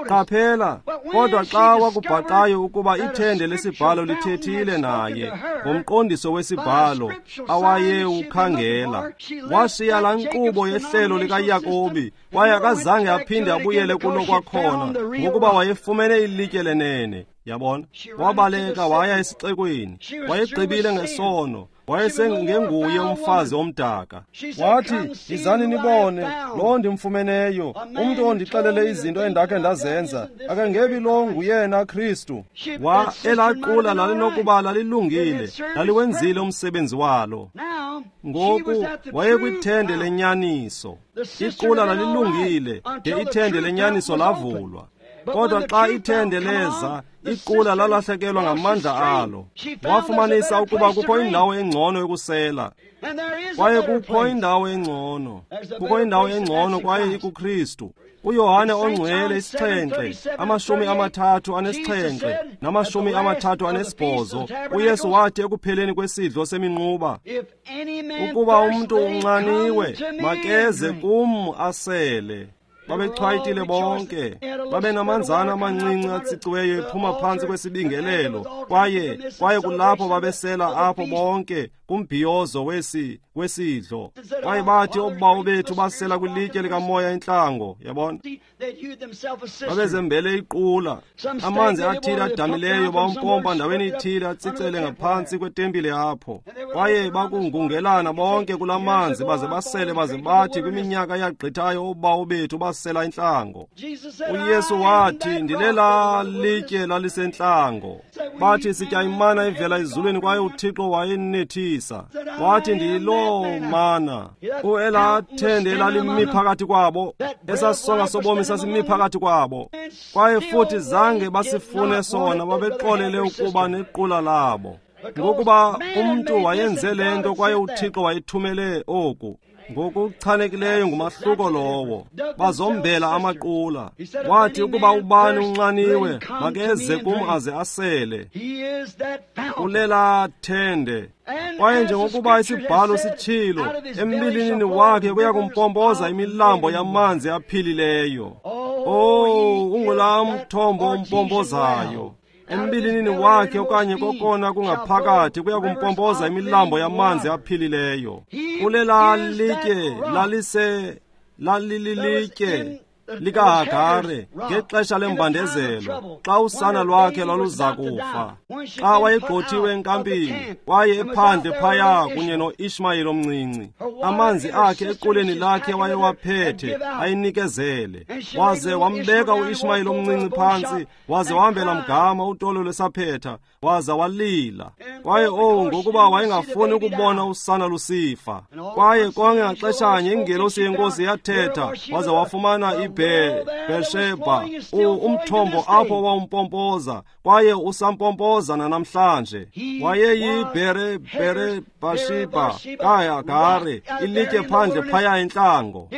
[SPEAKER 1] Qaphela, kodwa xa wakubhaqayo ukuba ithende lesibhalo lithethile naye ngomqondiso wesibhalo awayewukhangela, washiya laa nkqubo yehlelo likaYakobi, kwaye akazange aphinde abuyele kulo kwakhona, ngokuba wayefumene ilitye lenene. Yabona, wabaleka waya esixekweni, wayegqibile ngesono, wayesengenguye umfazi omdaka. Wathi, yizani nibone lo ndimfumeneyo, umntu ondixelele izinto endakhe ndazenza, akangebi lo nguyena Kristu. Wa elaqula lalinokuba lalilungile, laliwenzile umsebenzi walo. Ngoku wayekwithende lenyaniso. Iqula lalilungile de ithende lenyaniso lavulwa. Kodwa xa ithende leza, iqula lalahlekelwa ngamandla alo. Wafumanisa ukuba kukho indawo engcono yokusela, kwaye kukho indawo engcono, kukho indawo engcono, kwaye ikuKristu. uYohane ongcwele 7, 37 na-38, uYesu wathi ekupheleni kwesidlo seminquba, ukuba umntu unxaniwe, makeze kum asele. Babechwayitile bonke, babenamanzana amancinci atsiciweyo ephuma phantsi kwesibingelelo, kwaye kulapho babesela apho bonke kumbhiyozo wesidlo. Kwaye bathi obawo bethu basela kwilitye likamoya entlango. Yabona, babezembele iqula, amanzi athile adamileyo bawumpompa ndaweni ithile atsicele ngaphantsi kwetempile apho, kwaye bakungungelana bonke kula manzi baze basele, baze bathi kwiminyaka yagqithayo obawo bethu basela intlango. uYesu wathi, ndilela litye lalisentlango. Bathi sitya imana ivela ezulwini, kwaye uThixo wayenethisa. Wathi, ndiyiloo mana. Uelathende elalimi phakathi kwabo, esasisonka sobomi sasimi phakathi kwabo, kwaye futhi zange basifune sona, babexolele ukuba nequla labo, ngokuba umntu wayenze le nto, kwaye uThixo wayethumele oku. Ngokuchanekileyo ngumahluko lowo. Bazombela amaqula. Wathi, ukuba ubani unxaniwe, makeze kum aze asele. Ulela thende. Kwaye njengokuba isibhalo sitshilo, embilinini wakhe kuya kumpompoza imilambo yamanzi aphilileyo. Oh, ungulaa mthombo umpompozayo. Embilinini wakhe okanye kokona kungaphakathi kuya kumpompoza imilambo yamanzi aphilileyo. Ulela litye lalililitye likaHagare ngexesha lembandezelo, xa usana lwakhe lwaluza kufa, xa wayegqothiwe enkampini, kwaye ephandle phaya kunye noIshmayeli omncinci. Amanzi akhe equleni lakhe wayewaphethe ayinikezele, waze wambeka uIshmayeli omncinci phantsi, waze wahambela mgama utolo lwesaphetha, waza walila. Kwaye ngokuba wayengafuni ukubona usana lusifa. Kwaye konke ngaxeshanye ingelosi yenkosi yathetha, waze wafumana iBhersheba, umthombo apho wawumpompoza, kwaye usampompoza nanamhlanje. WayeyiBherebashiba kaHagare, ilitye phandle phaya entlango.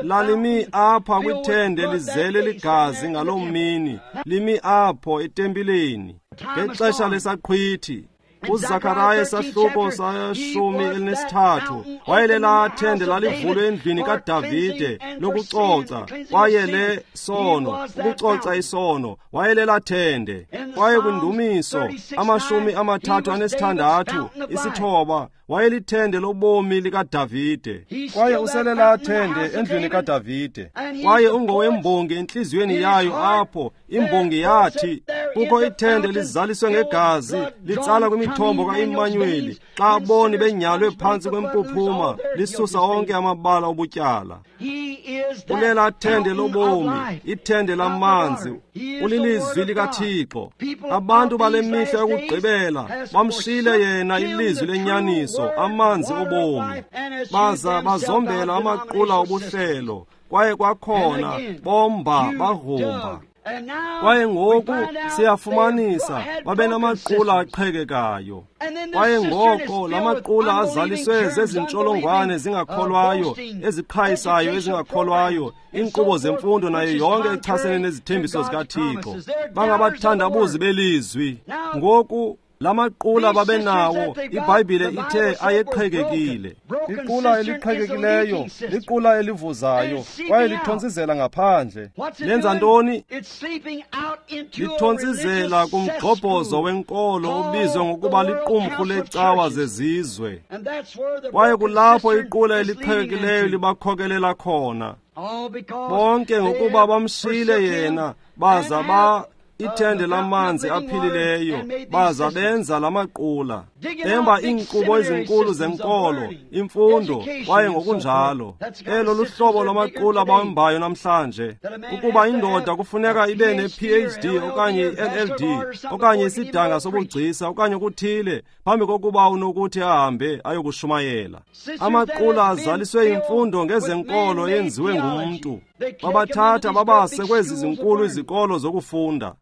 [SPEAKER 1] Lalimi apha kwithende lizele ligazi ngaloo mini, limi apho etempileni ngexesha lesaqhwithi. UZakaraya isahluko 13 wayelela thende lalivulwe endlwini kaDavide lokucoca, kwaye le sono, ukucoca isono, wayelela thende. Kwaye kwindumiso 36 isithoba wayelithende lobomi likaDavide. Kwaye uselela thende endlwini kaDavide. Kwaye ungowembongi entliziyweni yayo apho imbongi yathi, kukho ithende lizaliswe ngegazi litsala kwimithombo kaImmanueli, xa aboni benyalwe phantsi kwempuphuma lisusa onke amabala obutyala. Ulela thende lobomi, ithende lamanzi, ulilizwi likaThixo. Abantu bale mihla yokugqibela bamshile yena ilizwi lenyaniso, amanzi obomi, baza bazombela amaqula obuhlelo. Kwaye kwakhona bomba bagrumba. Kwaye ngoku siyafumanisa babenamaqula aqhekekayo. Kwaye ngoko lamaqula azaliswe zezintsholongwane zingakholwayo, eziqhayisayo ezingakholwayo, iinkqubo zemfundo nayo yonke echasene nezithembiso zikaThixo. Bangabathandabuzi belizwi. Ngoku lamaqula babenawo, iBhayibhile ithe ayeqhekekile. Iqula eliqhekekileyo liqula elivuzayo, kwaye lithontsizela ngaphandle. Lenza ntoni? Lithontsizela kumgxobhozo wenkolo obizwa ngokuba liqumrhu lecawa zezizwe. Kwaye kulapho iqula eliqhekekileyo libakhokelela khona. Bonke ngokuba bamshile yena, baza ba ithende lamanzi aphilileyo, baza benza lamaqula, emba iinkqubo ezinkulu zenkolo, imfundo, kwaye ngokunjalo. Elo luhlobo lwamaqula bawembayo namhlanje, ukuba indoda kufuneka ibe ne-PhD okanye i-LLD okanye isidanga sobugcisa okanye okuthile phambi kokuba unokuthi ahambe ayokushumayela. Amaqula azaliswe imfundo ngezenkolo yenziwe ngumntu. Babathatha babase kwezi zinkulu izikolo zokufunda,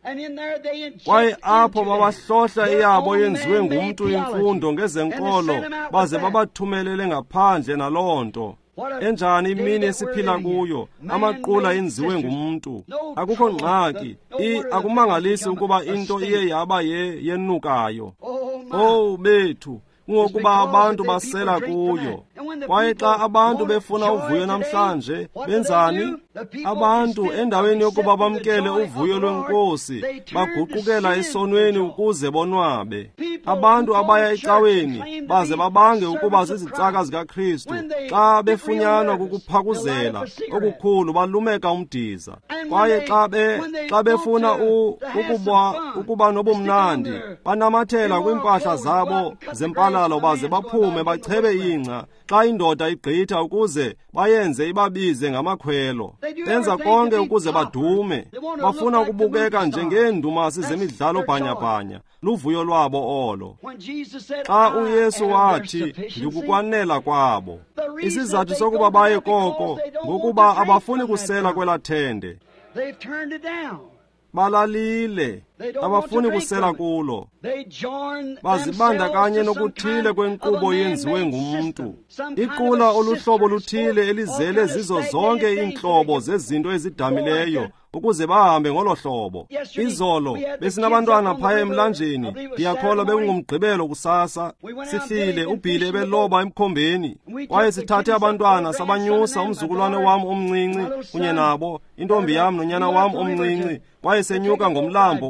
[SPEAKER 1] kwaye apho babahlohla eyabo yenziwe ngumntu imfundo ngezenkolo, baze babathumelele ngaphandle naloo nto. Enjani imini esiphila kuyo, amaqula enziwe ngumntu. Akukho ngxaki, akumangalisi ukuba into iye yaba yenukayo. Oh bethu, kungokuba abantu basela kuyo. Kwaye xa abantu befuna uvuyo namhlanje, benzani? Abantu endaweni yokuba bamkele uvuyo lwenkosi, baguqukela esonweni ukuze bonwabe. Abantu abaya ecaweni baze babange ukuba zizicaka zikaKristu, xa befunyanwa kukuphakuzela okukhulu balumeka umdiza. Kwaye xa befuna ukuba nobumnandi, banamathela kwiimpahla zabo zempalalo baze baphume bachebe ingca xa indoda igqitha ukuze bayenze ibabize ngamakhwelo. Benza konke ukuze badume. Bafuna ukubukeka njengeendumasi zemidlalo bhanyabhanya. Luvuyo lwabo olo. Xa uYesu wathi, ndikukwanela kwabo. Isizathu sokuba baye koko ngokuba abafuni kusela kwela thende. Balalile, abafuni kusela kulo. Bazibandakanye nokuthile kwenkqubo yenziwe ngumntu. Iqula oluhlobo luthile elizele zizo zonke iintlobo zezinto ezidamileyo ukuze bahambe ngolo hlobo. Izolo besinabantwana phaya emlanjeni, ndiyakholwa bekungumgqibelo kusasa. Sihlile, uBhili ebeloba emkhombeni, kwaye sithathe abantwana sabanyusa, umzukulwane wam omncinci kunye nabo, intombi yam nonyana wam omncinci, kwaye senyuka ngomlambo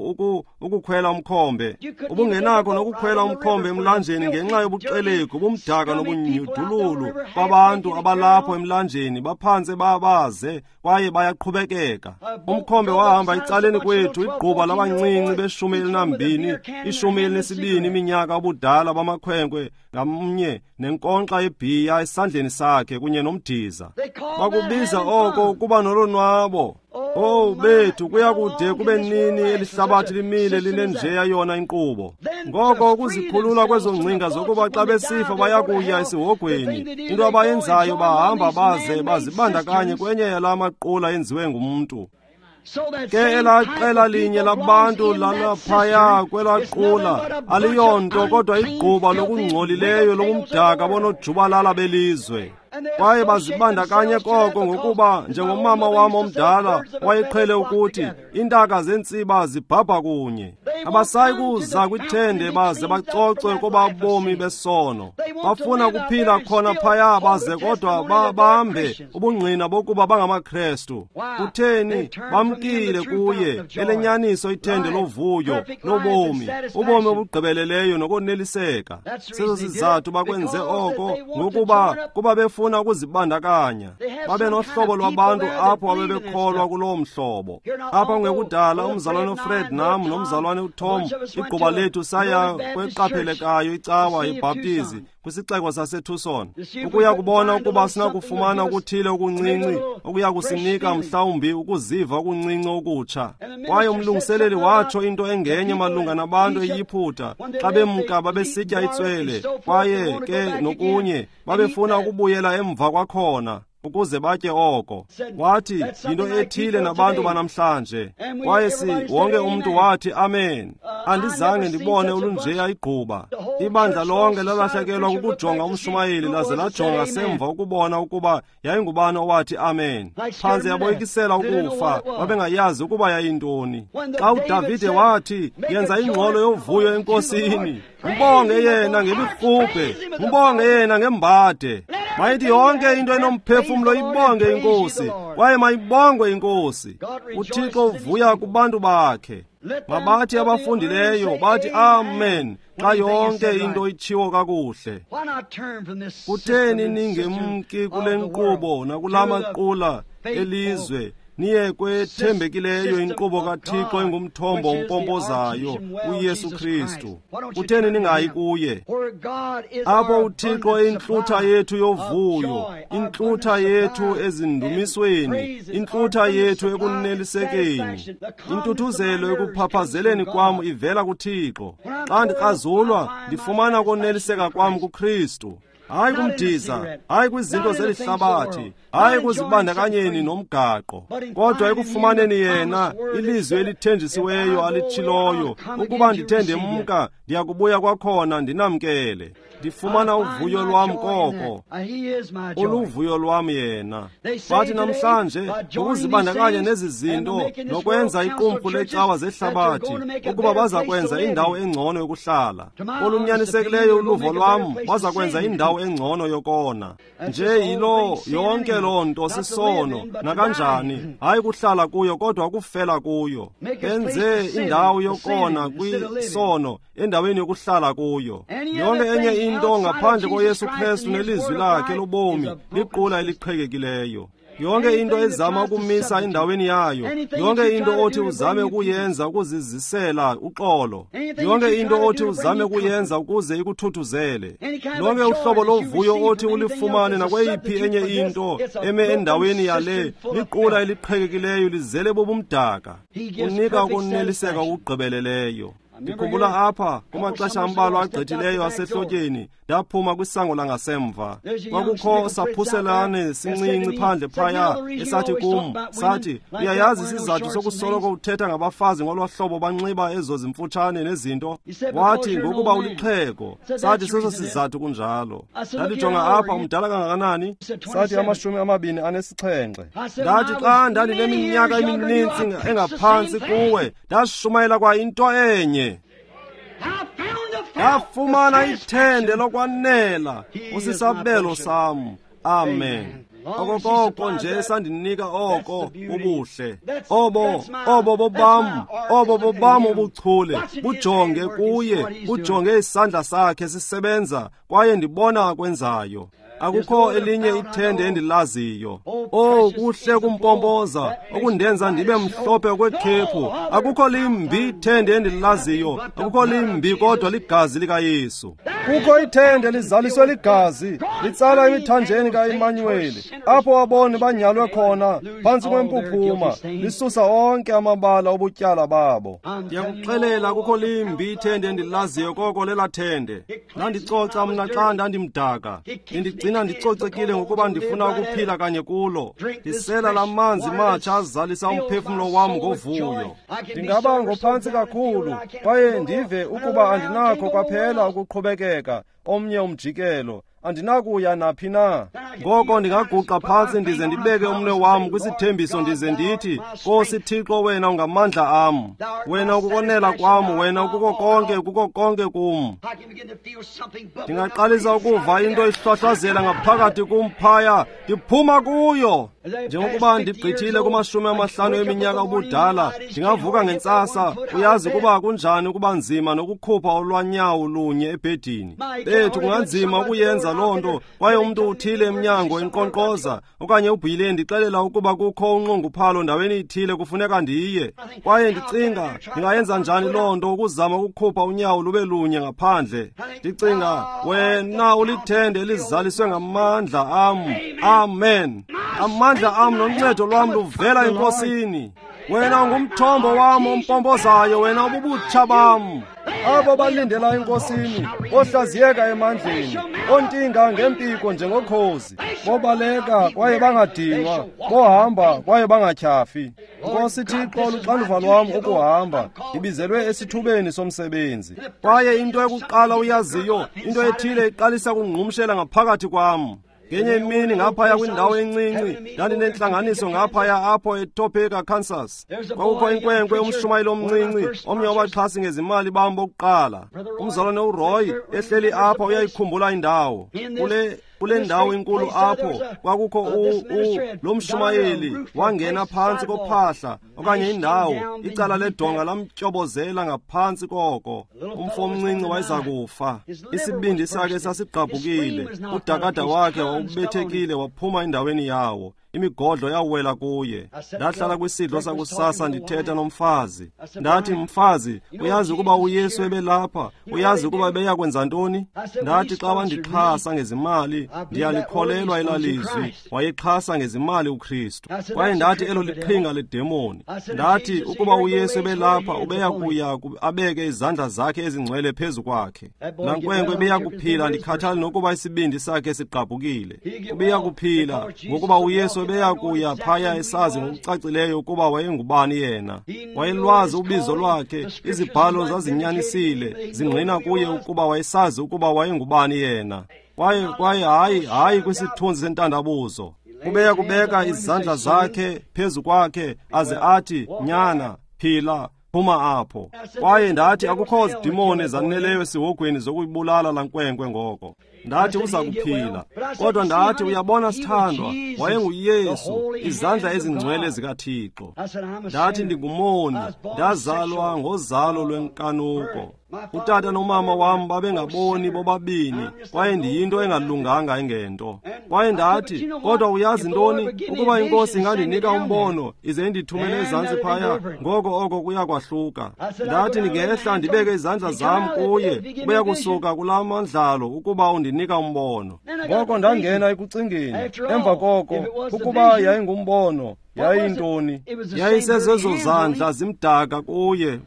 [SPEAKER 1] ukukhwela umkhombe. Ubungenakho nokukhwela umkhombe emlanjeni ngenxa yobuxelegu, ubumdaka nobunyudululu babantu abalapho emlanjeni, baphantse babaze kwaye bayaqhubekeka. Umkhombe wahamba ecaleni kwethu, igquba labancinci be-12, 12 iminyaka ubudala bamakhwenkwe ngamnye nenkonkxa yebhiya esandleni sakhe kunye nomdiza. Bakubiza oko ukuba nolonwabo. Oh bethu, kuyakude kube nini elihlabathi limile linenjeya yona inkqubo. Ngoko ukuzikhulula kwezo ngcinga zokuba xa besifa bayakuya esihogweni, into abayenzayo bahamba baze bazibandakanye kwenye yala maqula enziwe ngumntu. Ke elaa qela linye labantu lalaphaya kwelaa qula aliyonto kodwa igquba lokungcolileyo lobumdaka bonojubalala belizwe. Kwaye bazibandakanye koko ngokuba, njengomama wam omdala wayeqhele ukuthi, iintaka zentsiba zibhabha kunye. Abasayi kuza kwithende baze bacocwe koba bomi besono. Bafuna ukuphila khona phaya baze kodwa babambe ubungqina bokuba bangamaKrestu. Kutheni? Bamkile kuye elenyaniso ithende lovuyo lobomi, ubomi obugqibeleleyo nokoneliseka. Seso sizathu bakwenze oko, ngokuba kuba befuna ukuzibandakanya. Babe nohlobo lwabantu apho abebekholwa kuloo mhlobo. Apha kungekudala umzalwane uFred nam nomzalwane uTom, igquba lethu, saya kweqaphelekayo icawa yeBhaptizi kwisixeko saseTucson, ukuya kubona ukuba sinakufumana okuthile okuncinci okuya kusinika mhlawumbi ukuziva okuncinci okutsha. Kwaye umlungiseleli watsho into engenye malunga nabantu eYiphutha xa bemka babesitya itswele, kwaye ke nokunye babefuna ukubuyela emva kwakhona ukuze batye oko. Wathi yinto ethile nabantu banamhlanje. Kwaye wonke umntu wathi amen. Andizange ndibone olunjeya igquba. Ibandla lonke lalahlekelwa kukujonga umshumayeli laze lajonga semva ukubona ukuba yayingubani owathi amen. Phantse yaboyikisela ukufa, babengayazi ukuba yayintoni. Xa uDavide wathi, yenza ingxolo yovuyo enkosini, mbonge yena ngemirhubhe, mbonge yena ngembade. Mayithi yonke into enomphefumlo ibonge inkosi, kwaye mayibongwe inkosi. UThixo uvuya kubantu bakhe. Mabathi abafundileyo bathi amen xa yonke into itshiwo kakuhle. Kutheni ningemki kule nkqubo nakula maqula elizwe, niye kwethembekileyo inkqubo kaThixo engumthombo ompompozayo, uYesu Kristu? Kutheni ningayi kuye? Apho uThixo intlutha yethu yovuyo, intlutha yethu ezindumisweni, intlutha yethu ekunelisekeni. Intuthuzelo ekuphaphazeleni kwam ivela kuThixo. Xa ndikrazulwa, ndifumana ukoneliseka kwam kuKristu. Hayi kumdiza, hayi kwizinto zeli hlabathi, hayi kuzibandakanyeni nomgaqo, kodwa ekufumaneni yena ilizwi elithenjisiweyo alitshiloyo, ukuba ndithe ndemka ndiyakubuya kwakhona ndinamkele. Ndifumana uvuyo lwam koko, uluvuyo lwam yena. Bathi namhlanje ngokuzibandakanya nezi zinto nokwenza iqumrhu lecawa zehlabathi ukuba baza kwenza indawo engcono yokuhlala. Olunyanisekileyo uluvo lwam, baza kwenza indawo engcono yokona. Nje yilo yonke loo nto sisono nakanjani, hayi kuhlala kuyo kodwa ukufela kuyo. Benze indawo yokona kwisono endaweni yokuhlala kuyo. Yonke enye into ngaphandle koYesu Kristu nelizwi lakhe lobomi liqula eliqhekekileyo. Yonke into ezama ukumisa endaweni yayo, yonke into othi uzame ukuyenza ukuzizisela uxolo, yonke into othi uzame ukuyenza ukuze ikuthuthuzele, lonke uhlobo lovuyo othi ulifumane nakweyiphi enye into eme endaweni yale, liqula eliqhekekileyo lizele bobumdaka. Unika ukoneliseka okugqibeleleyo. Ndikhumbula apha kumaxesha ambalwa agqithileyo asehlotyeni, ndaphuma kwisango langasemva. Kwakukho saphuselane sincinci phandle phaya esathi kum, sathi, uyayazi isizathu sokusoloko uthetha ngabafazi ngolwa hlobo banxiba ezo zimfutshane nezinto? Wathi, ngokuba ulixhego. Sathi, seso sizathu kunjalo. Ndalijonga apha, umdala kangakanani? Sathi, 27. Ndathi, xa ndandineminyaka emininzi engaphantsi kuwe, ndashumayela kwa into enye. Ndafumana ithende lokwanela, usisabelo sam. Amen. Okokoko nje sandinika oko ubuhle. Obo bobam, obo bobam ubuchule. Bujonge kuye, bujonge isandla sakhe sisebenza, kwaye ndibona akwenzayo. Akukho elinye ithende endilaziyo. Oh, kuhle kumpompoza okundenza ndibe mhlophe okwekhephu. Akukho limbi ithende endilaziyo, akukho limbi kodwa ligazi likaYesu. Kukho ithende lizaliswe ligazi, litsala emithanjeni kaImanuweli, apho aboni banyalwe khona phantsi kwempuphuma, lisusa onke amabala obutyala babo. Ndiyakuxelela, akukho limbi ithende endilaziyo koko lela thende. Ndandicoca mna xa ndandimdaka, ndigcina ndicocekile ngokuba ndifuna ukuphila kanye kulo. Ndisela la manzi matsha azalisa umphefumlo wam ngovuyo. Ndingaba ngophantsi kakhulu kwaye ndive ukuba andinakho kwaphela ukuqhubekeka omnye umjikelo, andinakuya naphi na. Ngoko ndingaguqa phantsi ndize ndibeke umnwe wam kwisithembiso ndize ndithi, Nkosi Thixo, wena ungamandla am, wena ukukonela kwam, wena ukuko konke, kuko konke kum. Ndingaqalisa ukuva into ihlohlozela ngaphakathi kum phaya, ndiphuma kuyo. Njengokuba ndigqithile kuma-50 eminyaka ubudala, ndingavuka ngentsasa, uyazi ukuba kunjani ukuba nzima nokukhupha olwanyawo lunye ebhedini. Bethu, kunganzima ukuyenza loo nto, kwaye umntu uthile emnyango enkqonkqoza, okanye ubhile ndixelela ukuba kukho unxunguphalo ndaweni ithile kufuneka ndiye. Kwaye ndicinga, ndingayenza njani loo nto ukuzama ukukhupha unyawo lube lunye ngaphandle? Ndicinga, wena ulithende elizaliswe ngamandla am. Amen. Amandla am noncedo lwam luvela eNkosini. Wena ungumthombo wam ompompozayo, wena ububutsha bam. Abo balindela eNkosini bohlaziyeka emandleni, ontinga ngempiko njengokhozi, bobaleka kwaye bangadinwa, bohamba kwaye bangatyhafi. Nkosi Thixo, luxanduva lwam ukuhamba, ndibizelwe esithubeni somsebenzi. Kwaye into yokuqala uyaziyo, into ethile iqalisa kungqumshela ngaphakathi kwam. Ngenye imini ngaphaya kwindawo encinci, ndandinentlanganiso ngaphaya apho eTopeka, Kansas. Kwakukho inkwenkwe, umshumayeli omncinci, omnye wabaxhasi ngezimali bam bokuqala. Umzalwane uRoy ehleli apha uyayikhumbula indawo. Kule ndawo inkulu apho kwakukho lo mshumayeli wangena phantsi kophahla okanye indawo, icala ledonga lamtyobozela ngaphantsi koko. Umfo omncinci wayeza kufa. Isibindi sakhe sasigqabhukile, udakada wakhe wawubethekile waphuma endaweni yawo. Imigodlo yawela kuye. Ndahlala kwisidlo sakusasa ndithetha nomfazi. Ndathi, mfazi, uyazi ukuba uYesu ebelapha? Uyazi ukuba ebeyakwenza ntoni? Ndathi, xa wandixhasa ngezimali, ndiyalikholelwa elaa lizwi. Wayexhasa ngezimali uKristu. Kwaye ndathi, elo liqhinga ledemoni. Ndathi, ukuba uYesu ebelapha, ubeya kuya abeke izandla zakhe ezingcwele phezu kwakhe. Laa nkwenkwe ebeya kuphila, ndikhathali nokuba isibindi sakhe sigqabhukile. Ubeya kuphila ngokuba uYesu ebeya kuya phaya esazi ngokucacileyo ukuba wayengubani yena. Wayelwazi ubizo lwakhe, izibhalo zazinyanisile, zingqina kuye ukuba wayesazi ukuba wayengubani yena. Kwaye hayi kwisithunzi sentandabuzo. Ubeya kubeka izandla zakhe phezu kwakhe aze athi, nyana, phila, phuma apho. Kwaye ndathi, akukho zidimoni zaneleyo esihogweni zokuyibulala laa nkwenkwe ngoko. Ndathi, uza kuphila. Kodwa ndathi, uyabona sithandwa, wayenguYesu, izandla ezingcwele zikaThixo. Ndathi, ndingumoni, ndazalwa ngozalo lwenkanuko. Utata nomama wam babengaboni bobabini, kwaye ndiyinto engalunganga engento. Kwaye ndathi, kodwa uyazi ntoni, ukuba iNkosi ingandinika umbono ize indithumele ezantsi phaya, ngoko oko kuya kwahluka. Ndathi, ndingehla ndibeke izandla zam kuye, ubeya kusuka kulaa mandlalo ukuba undinika umbono. Ngoko ndangena ekucingeni. Emva koko, ukuba yayingumbono, yayintoni? Yayisezezo zandla zimdaka kuye,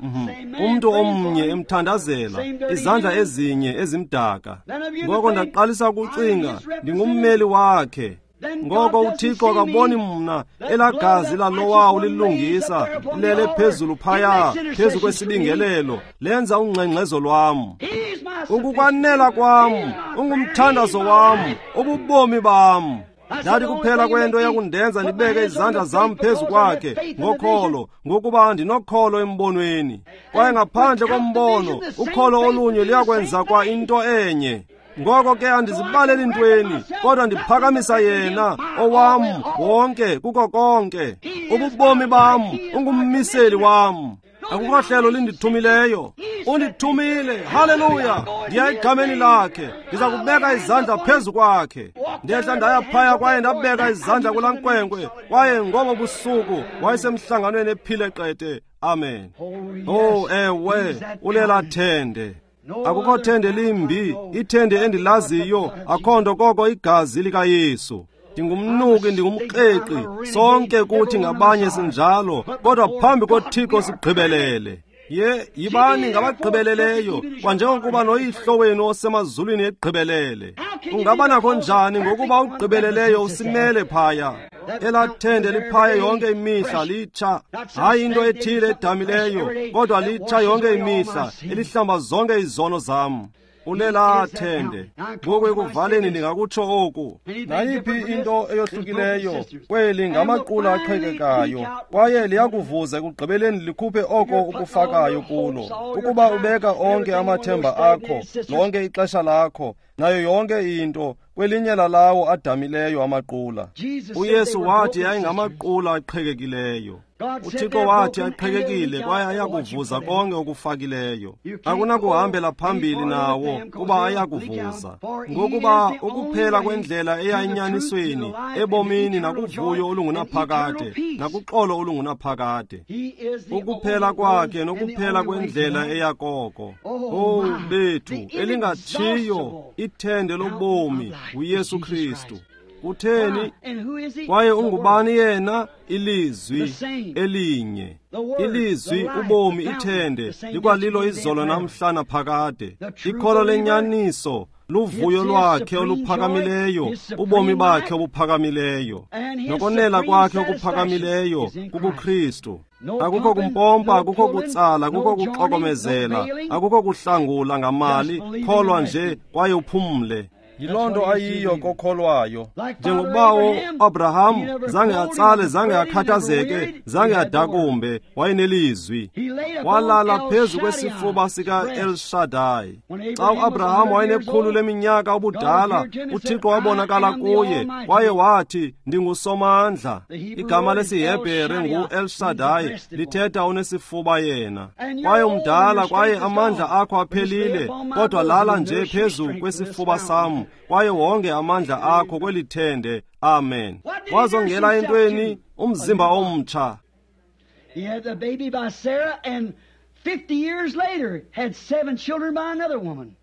[SPEAKER 1] umntu omnye emthandazela, izandla ezinye ezimdaka. Ngoko ndaqalisa ukucinga, ndingummeli wakhe. Ngoko uThixo akaboni mna, elaa gazi lalowawo lilungisa lilele phezulu phaya, phezu kwesibingelelo, lenza ungxengxezo lwam. Ukukwanela kwam, ungumthandazo wam, ububomi bam. Ndathi, kuphela kwento eyakundenza ndibeke izandla zam phezu kwakhe ngokholo, ngokuba ndinokholo embonweni. Kwaye ngaphandle kombono, ukholo olunye luyakwenza kwa into enye. Ngoko ke andizibaleli ntweni, kodwa ndiphakamisa yena, owam wonke kuko konke. Ububomi bam, ungummiseli wam. Akukho hlelo lindithumileyo, undithumile. Haleluya! Ndiya egameni lakhe, ndiza kubeka izandla phezu kwakhe. Ndehla ndaya phaya kwaye ndabeka izandla kulaa nkwenkwe, kwaye ngobo busuku wayesemhlanganweni ephile qete. Amen. Oh, ewe, ulela thende. Akukho thende limbi, ithende endilaziyo, akho nto koko igazi likaYesu. Ndingumnuki, ndingumkreqi, sonke kuthi ngabanye sinjalo, kodwa phambi koThixo sigqibelele. Ye, yibani ngabagqibeleleyo, kwanjengokuba noyihlo wenu osemazulwini egqibelele. Ungaba nakho njani ngokuba ugqibeleleyo usimele phaya? Elaa thende liphaya yonke imihla litsha, hayi into ethile edamileyo, kodwa litsha yonke imihla, elihlamba zonke izono zam. Ulelaa thende. Ngoku ekuvaleni ndingakutsho oku. Nayiphi into eyohlukileyo kweli ngamaqula aqhekekayo, kwaye liyakuvuza ekugqibeleni likhuphe oko ukufakayo kulo. Ukuba ubeka onke amathemba akho, lonke ixesha lakho, nayo yonke into kwelinye lalawo adamileyo amaqula. UYesu wathi yayingamaqula aqhekekileyo. UThixo wathi aqhekekile kwaye ayakuvuza konke okufakileyo. Akunakuhambela phambili nawo kuba ayakuvuza. Ngokuba ukuphela kwendlela eya enyanisweni, ebomini nakuvuyo olungunaphakade, nakuxolo olungunaphakade. Ukuphela kwakhe nokuphela kwendlela eya koko. Oh bethu, elingatshiyo ithende lobomi uYesu Kristu. Kutheni? Kwaye ungubani yena? Ilizwi elinye. Ilizwi, ubomi, ithende, likwalilo izolo namhla naphakade. Ikholo lenyaniso luvuyo lwakhe oluphakamileyo, ubomi bakhe obuphakamileyo, nokonela kwakhe okuphakamileyo kubuKristu. Akukho kumpompa, akukho kutsala, akukho kuxokomezela, akukho kuhlangula ngamali. Kholwa nje kwaye uphumle. Yiloo nto ayiyo kokholwayo. Njengokubawo Abraham zange atsale, zange akhathazeke, zange adakumbe, wayenelizwi. Walala phezu kwesifuba sika-El Shaddai. Xa uAbraham wayenekhulu leminyaka ubudala, uThixo wabonakala kuye kwaye wathi, ndinguSomandla. Igama lesiHebhere ngu-El Shaddai, lithetha unesifuba yena. Kwaye umdala, kwaye amandla akho aphelile, kodwa lala nje phezu kwesifuba sam, kwaye wonke amandla akho kweli thende. Amen. Wazongela entweni? Umzimba omtsha.
[SPEAKER 2] He had the baby by Sarah, and 50 years later had 7 children by another woman.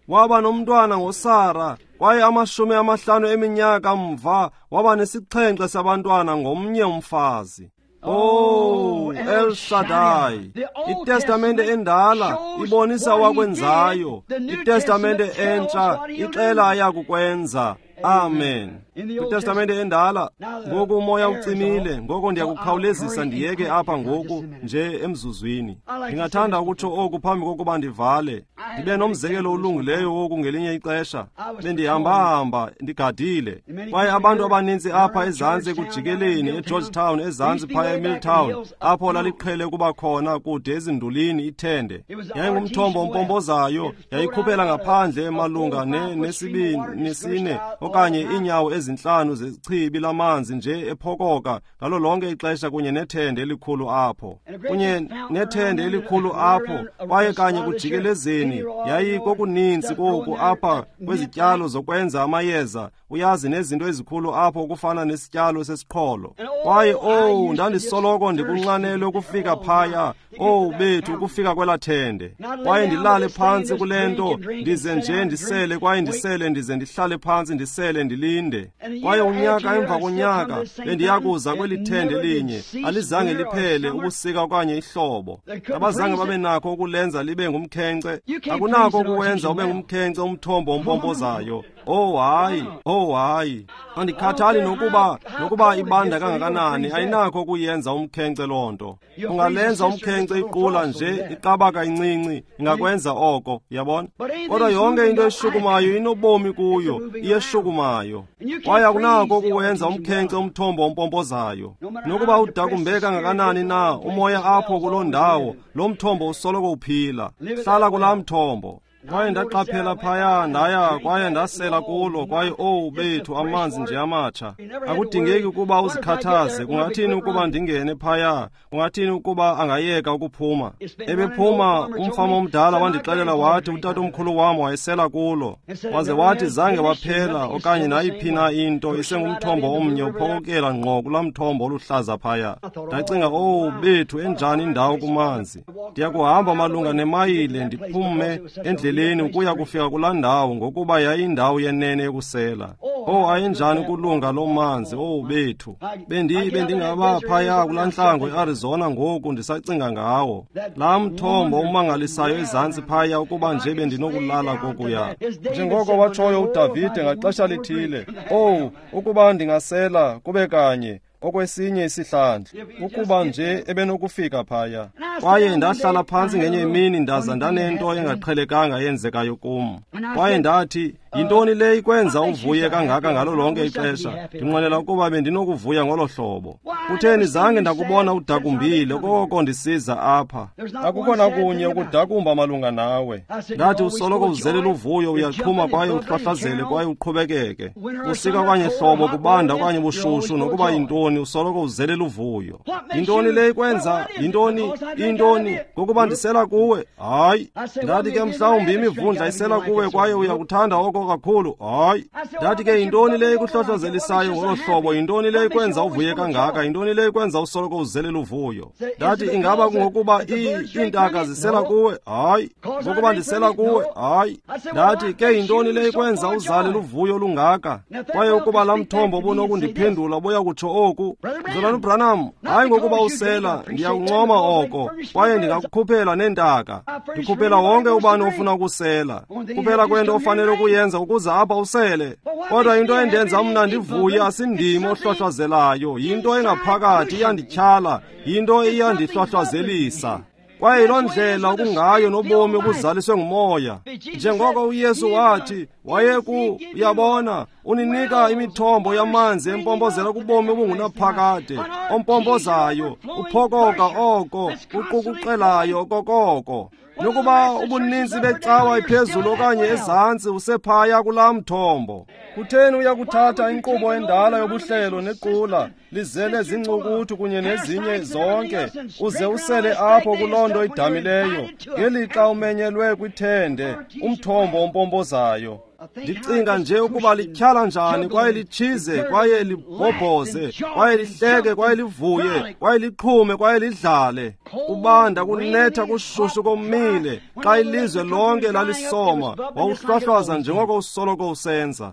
[SPEAKER 1] Waba nomntwana ngoSara, kwaye 50 eminyaka mva waba ne7 sabantwana ngomnye umfazi. Oh, El Shaddai. ITestamente endala ibonisa wakwenzayo. ITestamente entsha ixela ayakukwenza. Amen. ITestamente endala. Ngoku umoya ucimile, ngoko ndiyakukhawulezisa ndiyeke apha ngoku nje emzuzwini. Ndingathanda ukutsho oku phambi kokuba ndivale. Ndibe nomzekelo olungileyo woku ngelinye ixesha. Bendihamba-hamba ndigadile, kwaye abantu abaninzi apha ezantsi ekujikeleni eGeorgetown, ezantsi phaya eMilltown, apho laliqhele ukuba khona kude ezindulini ithende. Yayingumthombo ompompozayo, yayikhuphela ngaphandle malunga nesine okanye iinyawo 5 zechibi lamanzi nje ephokoka ngalo lonke ixesha, kunye nethende elikhulu apho, kunye nethende elikhulu apho, kwaye kanye kujikelezeni yayikokuninzi koku apha kwezityalo zokwenza amayeza, uyazi, nezinto ezikhulu apho okufana nesityalo sesiqholo. Kwaye owu, ndandisoloko ndikunxanelwe ukufika phaya, owu bethu, ukufika kwelaa thende, kwaye ndilale phantsi kule nto, ndize nje ndisele, kwaye ndisele, ndize ndihlale phantsi ndisele, ndilinde. Kwaye unyaka emva konyaka bendiyakuza kweli thende linye, alizange liphele ubusika okanye ihlobo. Abazange babe nakho ukulenza libe ngumkhenkce. Akunako ukuwenza ube ngumkhenkce umthombo ompompozayo. Oh hayi, oh hayi. Andikhathali nokuba ibanda kangakanani, ayinakho ukuyenza umkhenkce loo nto. Ungalenza umkhenkce iqula nje, iqabaka incinci, ingakwenza oko, yabona? Kodwa yonke into eshukumayo inobomi kuyo, iyeshukumayo. Kwaye akunako ukuwenza umkhenkce umthombo ompompozayo. Nokuba udakumbe kangakanani na umoya apho kuloo ndawo, lo mthombo usoloko uphila. Hlala kulaa mthombo. Kwaye ndaqaphela phaya, ndaya kwaye ndasela kulo, kwaye owu bethu, amanzi nje amatsha. Akudingeki ukuba uzikhathaze. Kungathini ukuba ndingene phaya? Kungathini ukuba angayeka ukuphuma? Ebephuma umfama omdala wandixelela wathi utatomkhulu wam wayesela kulo, waze wathi zange waphela okanye nayiphi na into, isengumthombo omnye uphokokela ngqo kulaa mthombo oluhlaza phaya. Ndacinga, owu bethu, enjani indawo kumanzi. Ndiyakuhamba malunga nemayile ndiphume endleleni ukuya kufika kulaa ndawo, ngokuba yayindawo yenene yokusela. Oh, ayenjani ukulunga loo manzi, owu bethu. Bendingaba phaya kulaa ntlango eArizona ngoku ndisacinga ngawo. Laa mthombo umangalisayo ezantsi phaya, ukuba nje bendinokulala kokuya. Njengoko watshoyo uDavide ngaxesha lithile, owu, ukuba ndingasela kube kanye. okwesinye isihlandlo, ukuba nje ebenokufika phaya. Kwaye ndahlala phantsi ngenye imini ndaza ndanento engaqhelekanga yenzekayo kum. Kwaye ndathi, yintoni le ikwenza uvuye kangaka ngalo lonke ixesha? Ndinqwenela ukuba bendinokuvuya ngolo hlobo. Kutheni zange ndakubona udakumbile koko ndisiza apha? Akukho nakunye ukudakumba malunga nawe. Ndathi, usoloko uzelela uvuyo, uyaqhuma kwaye uhlwahlazele kwaye uqhubekeke. Usika okanye hlobo, kubanda okanye bushushu, nokuba yintoni, usoloko uzelela uvuyo. Yintoni le ikwenza? Yintoni? Intoni? Ngokuba ndisela kuwe? Hayi. Ndathi ke, mhlawumbi imivundla isela kuwe kwaye uyakuthanda oko kakhulu. Hayi. Ndathi ke, yintoni le ikuhlohlozelisayo ngolo hlobo? Yintoni le ikwenza uvuye kangaka? Yintoni le ikwenza usoloko uzelela uvuyo? Ndathi, ingaba kungokuba iintaka zisela kuwe? Hayi. Ngokuba ndisela kuwe? Hayi. Ndathi ke, yintoni le ikwenza uzale luvuyo lungaka? Kwaye ukuba laa mthombo ubunokundiphendula ubuya kutsho oku, Mzalwana uBranham, hayi ngokuba usela, ndiyakuncoma oko, kwaye ndingakukhuphela neentaka. Ndikhuphela wonke ubani ofuna ukusela. Kuphela kwento ofanele ukuyenza ukuze apha usele. Kodwa into endenza mna ndivuye asindimi ohlohlozelayo, yinto engaphakathi iyandityhala, yinto iyandihlwahlwazelisa. Kwaye yiloo ndlela okungayo nobomi obuzaliswe ngumoya. Njengoko uYesu wathi, wayeku, uyabona, uninika imithombo yamanzi empompozela kubomi obungunaphakade, ompompozayo, uphokoka oko, uqukuqelayo okokoko. Nokuba ubuninzi becawa iphezulu okanye ezantsi, usephaya kulaa mthombo. Kutheni uyakuthatha inkqubo endala yobuhlelo nequla lizele zincukuthu kunye nezinye zonke, uze usele apho kuloo nto idamileyo, ngelixa umenyelwe kwithende, umthombo ompompozayo? Ndicinga nje ukuba lityhala njani, kwaye litshize, kwaye libhobhoze, kwaye lihleke, kwaye livuye, kwaye liqhume, kwaye lidlale. Kubanda, kunetha, kushushu, komile. Xa ilizwe lonke lalisoma, wawuhlwahlwaza njengoko usoloko usenza,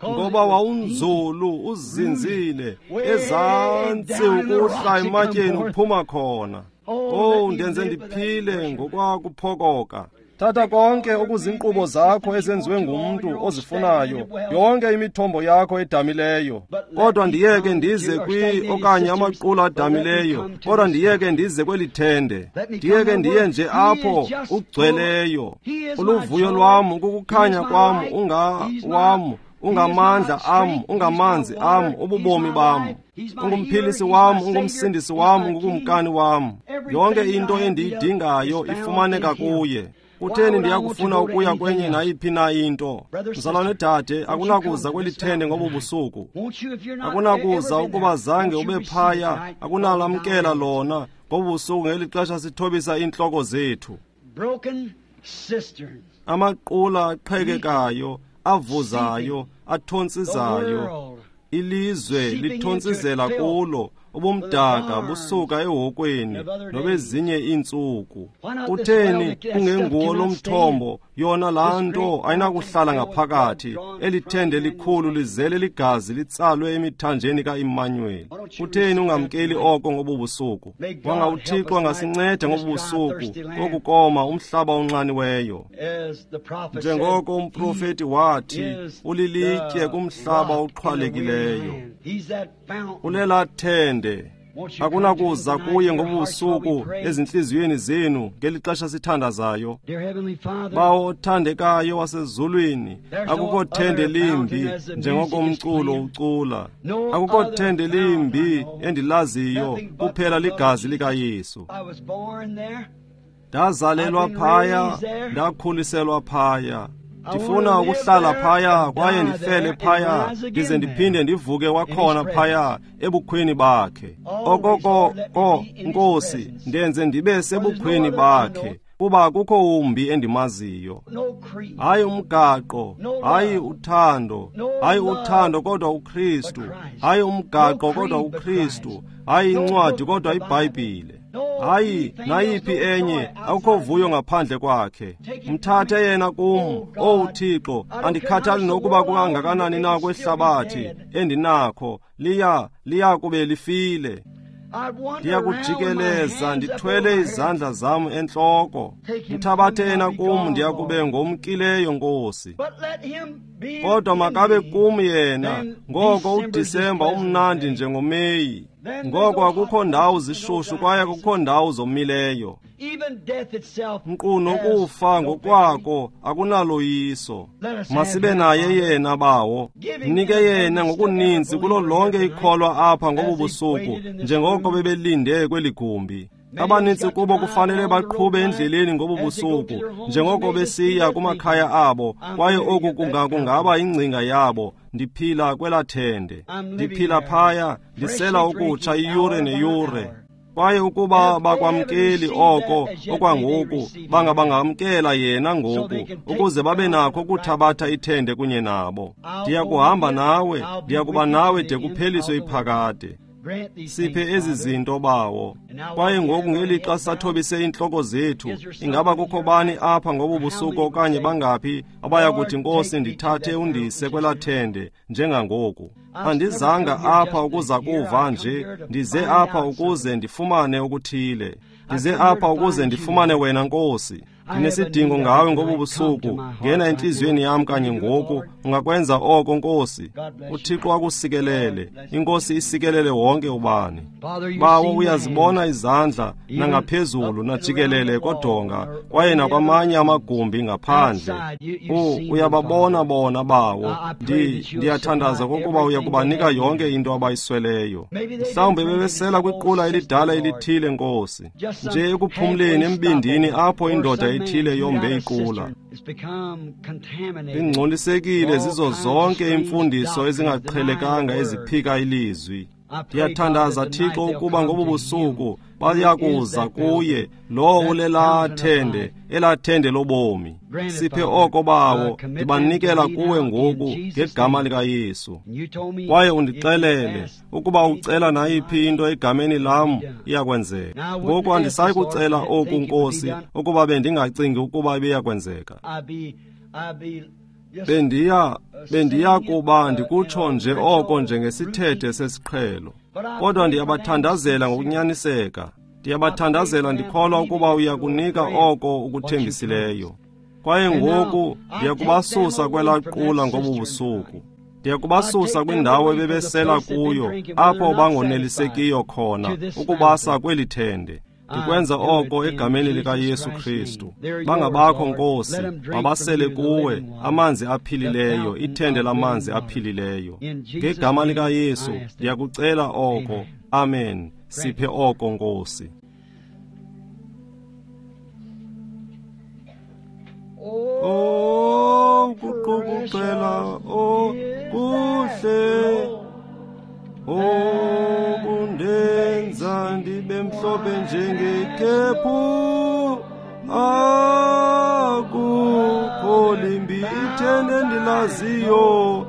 [SPEAKER 1] ngoba wawunzulu, uzinzile, ezantsi ukuhla ematyeni uphuma khona. Oh, ndenze ndiphile ngokwakuphokoka. Thatha konke okuzinkqubo zakho ezenziwe ngumntu ozifunayo, yonke imithombo yakho edamileyo, kodwa ndiyeke ndize kwi okanye amaqula adamileyo, kodwa ndiyeke ndize kweli thende, ndiyeke ndiye nje apho ugcweleyo. Uluvuyo lwam, ukukukhanya kwam, ungawam, ungamandla am, ungamanzi am, ububomi bam. Ungumphilisi wam, ungumsindisi wam, ungukumkani wam. Yonke into endiyidingayo ifumaneka kuye. Kutheni ndiyakufuna ukuya kwenye nayiphi na into? Mzalwane dade, akunakuza kweli thende ngobu busuku. Akunakuza ukuba zange ube phaya, akunalamkela lona ngobu busuku ngeli xesha sithobisa iintloko zethu. Amaqula aqhekekayo, avuzayo, athontsizayo, ilizwe lithontsizela kulo, ubumdaka busuka ehokweni nobezinye iintsuku. Kutheni kungenguwo lo mthombo? Yona laa nto ayinakuhlala ngaphakathi. Eli thende likhulu lizele ligazi litsalwe emithanjeni ka-Immanuweli. Kutheni ungamkeli oko ngobu busuku? Wanga uThixo angasinceda ngobu busuku kokukoma umhlaba onxaniweyo. Njengoko umprofeti wathi, ulilitye kumhlaba oxhwalekileyo. Ulela thende. Akunakuza kuye ngobusuku ezintliziyweni zenu ngeli xesha sithandazayo. Bawo othandekayo wasezulwini, akukho thende limbi njengoko umculo ucula. Akukho thende limbi endilaziyo, kuphela ligazi likaYesu. Ndazalelwa phaya, ndakhuliselwa phaya. Ndifuna ukuhlala phaya kwaye ndifele phaya, ndize ndiphinde ndivuke kwakhona phaya ebukhweni bakhe. Okoko ko Nkosi, ndenze ndibe sebukhweni bakhe, kuba akukho wumbi endimaziyo. Hayi umgaqo, hayi uthando, hayi uthando kodwa uKristu, hayi umgaqo kodwa uKristu, hayi incwadi kodwa iBhayibhile. Hayi nayiphi enye, akukho vuyo ngaphandle kwakhe. Mthathe yena kum, owu Thixo, andikhathali nokuba kukangakanani na kwehlabathi endinakho, liya kube lifile. Ndiyakujikeleza ndithwele izandla zam entloko. Mthabathe yena kum, ndiyakube ngomkileyo, Nkosi. Kodwa makabe kum yena, ngoko uDisemba umnandi njengoMeyi. Ngoko akukho ndawo zishushu kwaye akukho ndawo zomileyo. Nkqu nokufa ngokwako akunaloyiso. Masibe naye yena, Bawo. Mnike yena ngokuninzi kulo lonke ikholwa apha ngobu busuku, njengoko bebelinde kweli gumbi. Abanintsi kubo kufanele baqhube endleleni ngobu busuku, njengoko besiya kumakhaya abo, kwaye oku kungaba ingcinga yabo. Ndiphila kwelaa thende, ndiphila phaya, ndisela ukutsha iyure neyure. Kwaye ukuba bakwamkeli oko okwangoku, bangabangamkela yena ngoku, ukuze babe nakho ukuthabatha ithende kunye nabo. Ndiyakuhamba nawe, ndiyakuba nawe de kupheliswe iphakade. Siphe ezi zinto, Bawo. Kwaye ngoku ngelixa sathobise iintloko zethu, ingaba kukho bani apha ngobu busuku okanye bangaphi abayakuthi, Nkosi, ndithathe undise kwelaa thende njengangoku? Andizanga apha ukuza kuva nje, ndize apha ukuze ndifumane okuthile. Ndize apha ukuze ndifumane wena, Nkosi. Ndinesidingo ngawe ngobu busuku. Ngena entliziyweni yam kanye ngoku. Ungakwenza oko, Nkosi? UThixo akusikelele. INkosi isikelele wonke ubani. Bawo, uyazibona izandla nangaphezulu najikelele kodonga kwaye nakwamanye amagumbi ngaphandle. Uyababona bona, Bawo. Ndiyathandaza kokuba uyakubanika yonke into abayisweleyo. Mhlawumbi bebesela kwiqula elidala elithile, Nkosi, nje ekuphumleni embindini apho indoda ethile yombe iqula. Ingcolisekile zizo zonke iimfundiso ezingaqhelekanga eziphika ilizwi. Ndiyathandaza, Thixo, ukuba ngobu busuku bayakuza kuye lowo ulelaa thende, elaa thende lobomi. Siphe oko, Bawo. Ndibanikela kuwe ngoku ngegama likaYesu. Kwaye undixelele ukuba ucela nayiphi into egameni lam, iyakwenzeka. Ngoku andisayi kucela oku, Nkosi, ukuba bendingacingi ukuba ibiyakwenzeka. Bendiya kuba ndikutsho nje oko njengesithethe sesiqhelo. Kodwa ndiyabathandazela ngokunyaniseka. Ndiyabathandazela ndikholwa ukuba uyakunika oko ukuthembisileyo. Kwaye ngoku ndiyakubasusa kwelaa qula ngobu busuku. Ndiyakubasusa kwindawo ebebesela kuyo, apho bangonelisekiyo khona, ukubasa kweli thende. Ndikwenza oko egameni likaYesu Kristu. Bangabakho, Nkosi, mabasele kuwe amanzi aphilileyo, ithende lamanzi aphilileyo. Ngegama likaYesu ndiyakucela oko. Amen. Siphe oko, Nkosi. Oh, kuqukuqela, oh, kuhle. Oh, kundenza ndibe mhlophe njengekhephu. Akukho limbi ithende endilaziyo,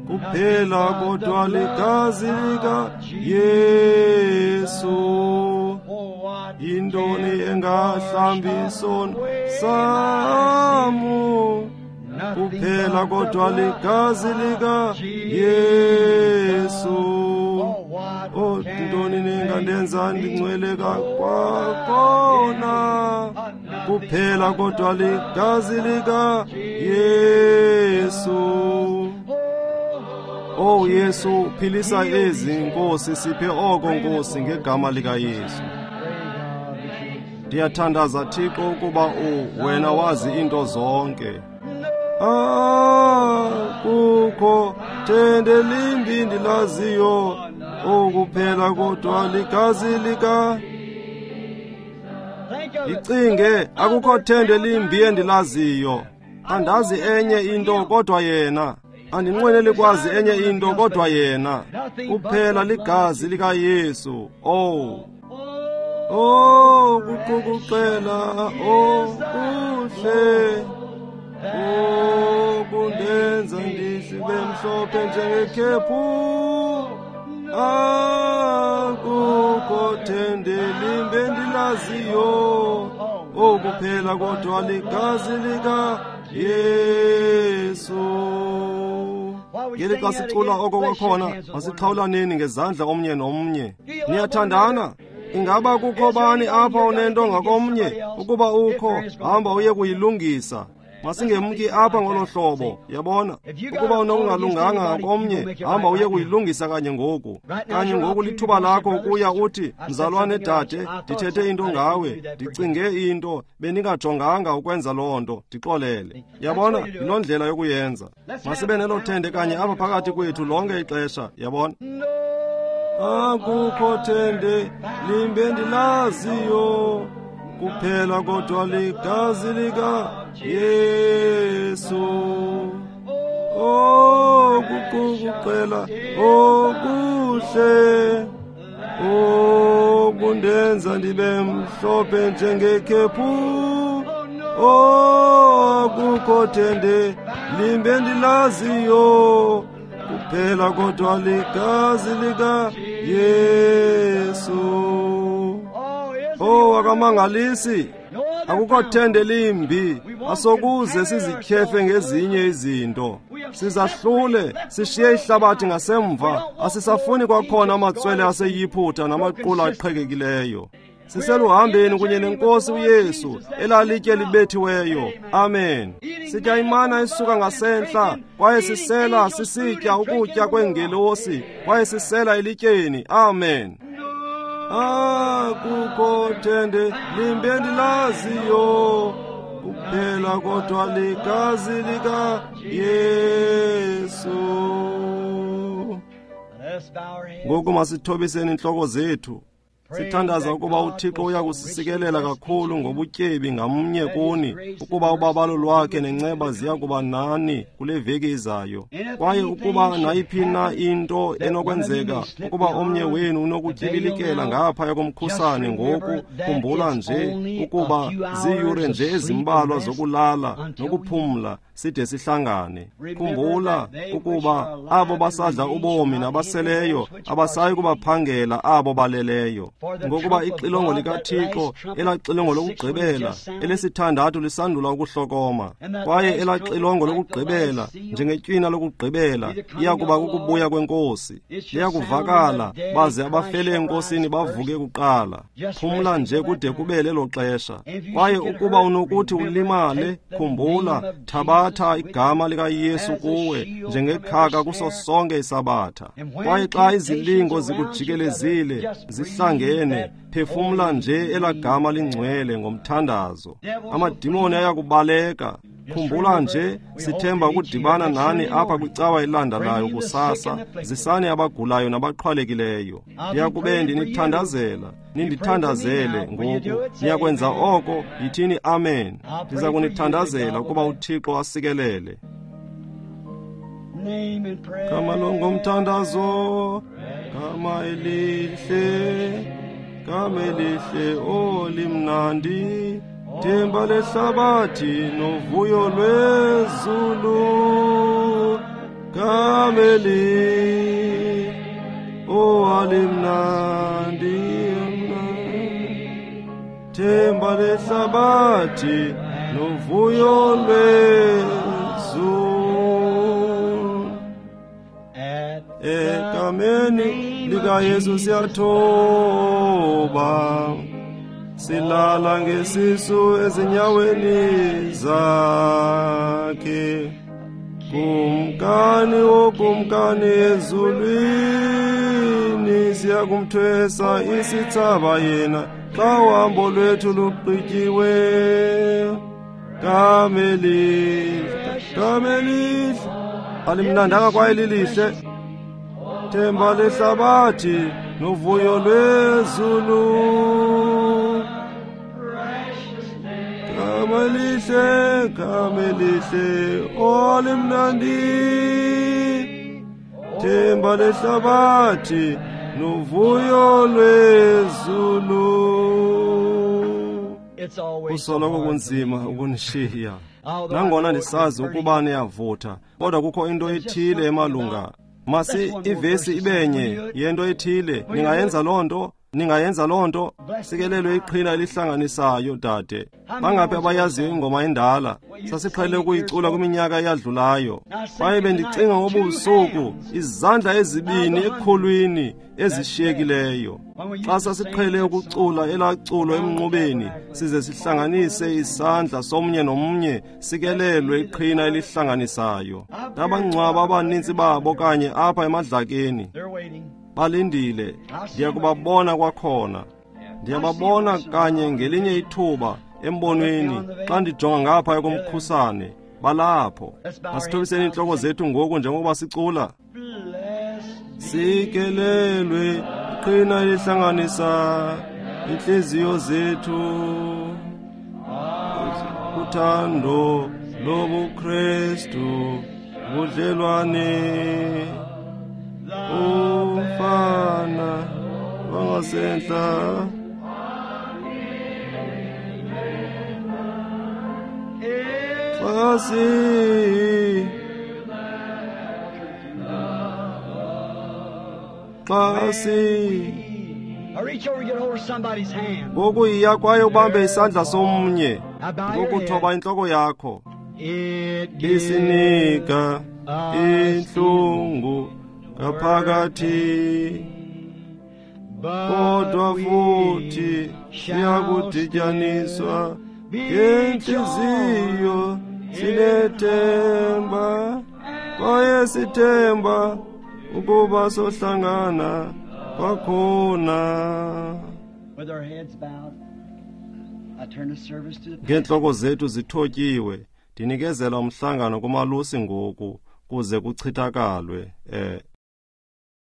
[SPEAKER 1] kuphela kodwa ligazi likaYesu. Yintoni engahlambi isono samu? Kuphela kodwa ligazi likaYesu. Oh, ntoni ningandenza ndingcwele kwakhona? Kuphela kodwa ligazi likaYesu. Oh Yesu, philisa ezi, Nkosi. Siphe oko, Nkosi, ngegama likaYesu. Ndiyathandaza, Thixo, ukuba wena wazi into zonke. Akukho thende limbi ndilaziyo, okuphela kodwa ligazi lika. Icinge, akukho thende limbi endilaziyo. Andazi enye into kodwa yena. Andinqweneli kwazi enye into kodwa yena. Kuphela ligazi likaYesu. Oh. Oh, kuqukuqela, oh, kuhle. Oh, kundenza ndibe mhlophe njengekhephu. Akukho thende limbi endilaziyo, okuphela kodwa ligazi likaYesu. Ngeli xa sicula oko kwakhona, masixhawulaneni ngezandla omnye nomnye. Niyathandana? Ingaba kukho bani apha onento ngakomnye? Ukuba ukho, hamba uye kuyilungisa. Masingemki apha ngolo hlobo, yabona. Ukuba unokungalunganga ngakomnye, hamba uye kuyilungisa kanye ngoku. Kanye ngoku lithuba lakho ukuya uthi, mzalwane dade, ndithethe into ngawe, ndicinge into, bendingajonganga ukwenza loo nto, ndixolele. Yabona, yiloo ndlela yokuyenza. Masibe nelo thende kanye apha phakathi kwethu lonke ixesha, yabona. Akukho thende limbe ndilaziyo, kuphela kodwa ligazi lika Yesu. Okuqukuqela okuhle, okundenza ndibe mhlophe njengekhephu. Akukho thende limbe ndilaziyo, kuphela kodwa ligazi lika Yesu. Oh, akamangalisi. Akukho thende limbi, asokuze sizityhefe ngezinye izinto. Sizahlule, sishiye ihlabathi ngasemva, asisafuni kwakhona amatswele aseYiphutha namaqula aqhekekileyo. Siseluhambeni kunye nenkosi uYesu, elalitye libethiweyo. Amen. Sitya imana isuka ngasentla, kwaye sisela sisitya ukutya kweengelosi, kwaye sisela elityeni. Amen. Akukho thende limbe ndilaziyo, kuphela kodwa ligazi lika Yesu. Ngoku masithobiseni intloko zethu. Sithandaza ukuba uThixo uya kusisikelela kakhulu ngobutyebi ngamnye kuni, ukuba ubabalo lwakhe nenceba ziya kuba nani kule veki izayo. Kwaye ukuba nayiphi na into enokwenzeka, ukuba omnye wenu unokutyibilikela ngaphaya komkhusane ngoku, khumbula nje ukuba ziiyure nje ezimbalwa zokulala nokuphumla side sihlangane. Khumbula ukuba abo basadla ubomi nabaseleyo abasayi kubaphangela abo baleleyo. Ngokuba ixilongo likaThixo, elaxilongo lokugqibela, elesithandathu lisandula ukuhlokoma, kwaye elaxilongo lokugqibela, njengetywina lokugqibela, iya kuba kukubuya kwenkosi. Liyakuvakala, baze abafele enkosini bavuke kuqala. Phumla nje kude kube lelo xesha. Kwaye ukuba unokuthi ulimale, khumbula, thabatha igama likaYesu kuwe njengekhaka kuso sonke isabatha. Kwaye xa izilingo zikujikelezile, zihlangene, phefumla nje elagama lingcwele ngomthandazo. Amadimoni ayakubaleka. Khumbula nje, sithemba ukudibana nani apha kwicawa elandelayo kusasa. Zisani abagulayo nabaqhwalekileyo. Ndiyakube ndinithandazela, nindithandazele ngoku. Niyakwenza oko, yithini amen. Ndiza kunithandazela ukuba uThixo asikelele. Gama longomthandazo, gama elihle, gama elihle olimnandi, themba lehlabathi novuyo lwezulu. Gama elihle, olimnandi, themba lehlabathi novuyo lwezulu. Egameni likaYesu siyathoba, silala ngesisu ezinyaweni zakhe. Kumkani wokumkani ezulwini, siyakumthwesa isithsaba yena xa uhambo lwethu lugqityiwe. Gama elihle, gama elihle, alimnandanga kwaye lilihle, themba lehlabathi novuyo lwezulu. Gama elihle, gama elihle, olimnandi, themba lehlabathi novuyo lwezulu. Kusoloko kunzima ukunishiya, nangona ndisazi ukuba niyavutha, kodwa kukho into ethile emalunga. Masi ivesi ibenye yento ethile, ningayenza loo nto. Ningayenza loo nto? Sikelelwe iqhina elihlanganisayo, dade. Bangaphi abayaziyo ingoma endala? Sasiqhele ukuyicula kwiminyaka eyadlulayo. Kwaye bendicinga ngobubusuku, izandla ezibini ekhulwini ezishiyekileyo. Xa sasiqhele ukucula elaa culo emnqubeni, size sihlanganise isandla somnye nomnye, sikelelwe iqhina elihlanganisayo. Ndabangcwaba abanintsi babo kanye apha emadlakeni. Balindile. Ndiyakubabona kwakhona. Ndiyababona kanye ngelinye ithuba embonweni xa ndijonga ngapha ekumkhusane. Balapho. Masithobiseni iintloko zethu ngoku njengokuba sicula. Sikelelwe iqhina elihlanganisa intliziyo zethu uthando lobuKristu budlelwane ufana wangasentla xa si ngoku yiya kwaye ubambe isandla somnye ngokuthoba intloko yakho. Isinika intlungu ngaphakathi, kodwa futhi siyakudityaniswa ngentliziyo sinethemba, kwaye sithemba ukuba sohlangana kwakhona. Ngeentloko zethu zithotyiwe, ndinikezela umhlangano kumalusi ngoku kuze kuchithakalwe.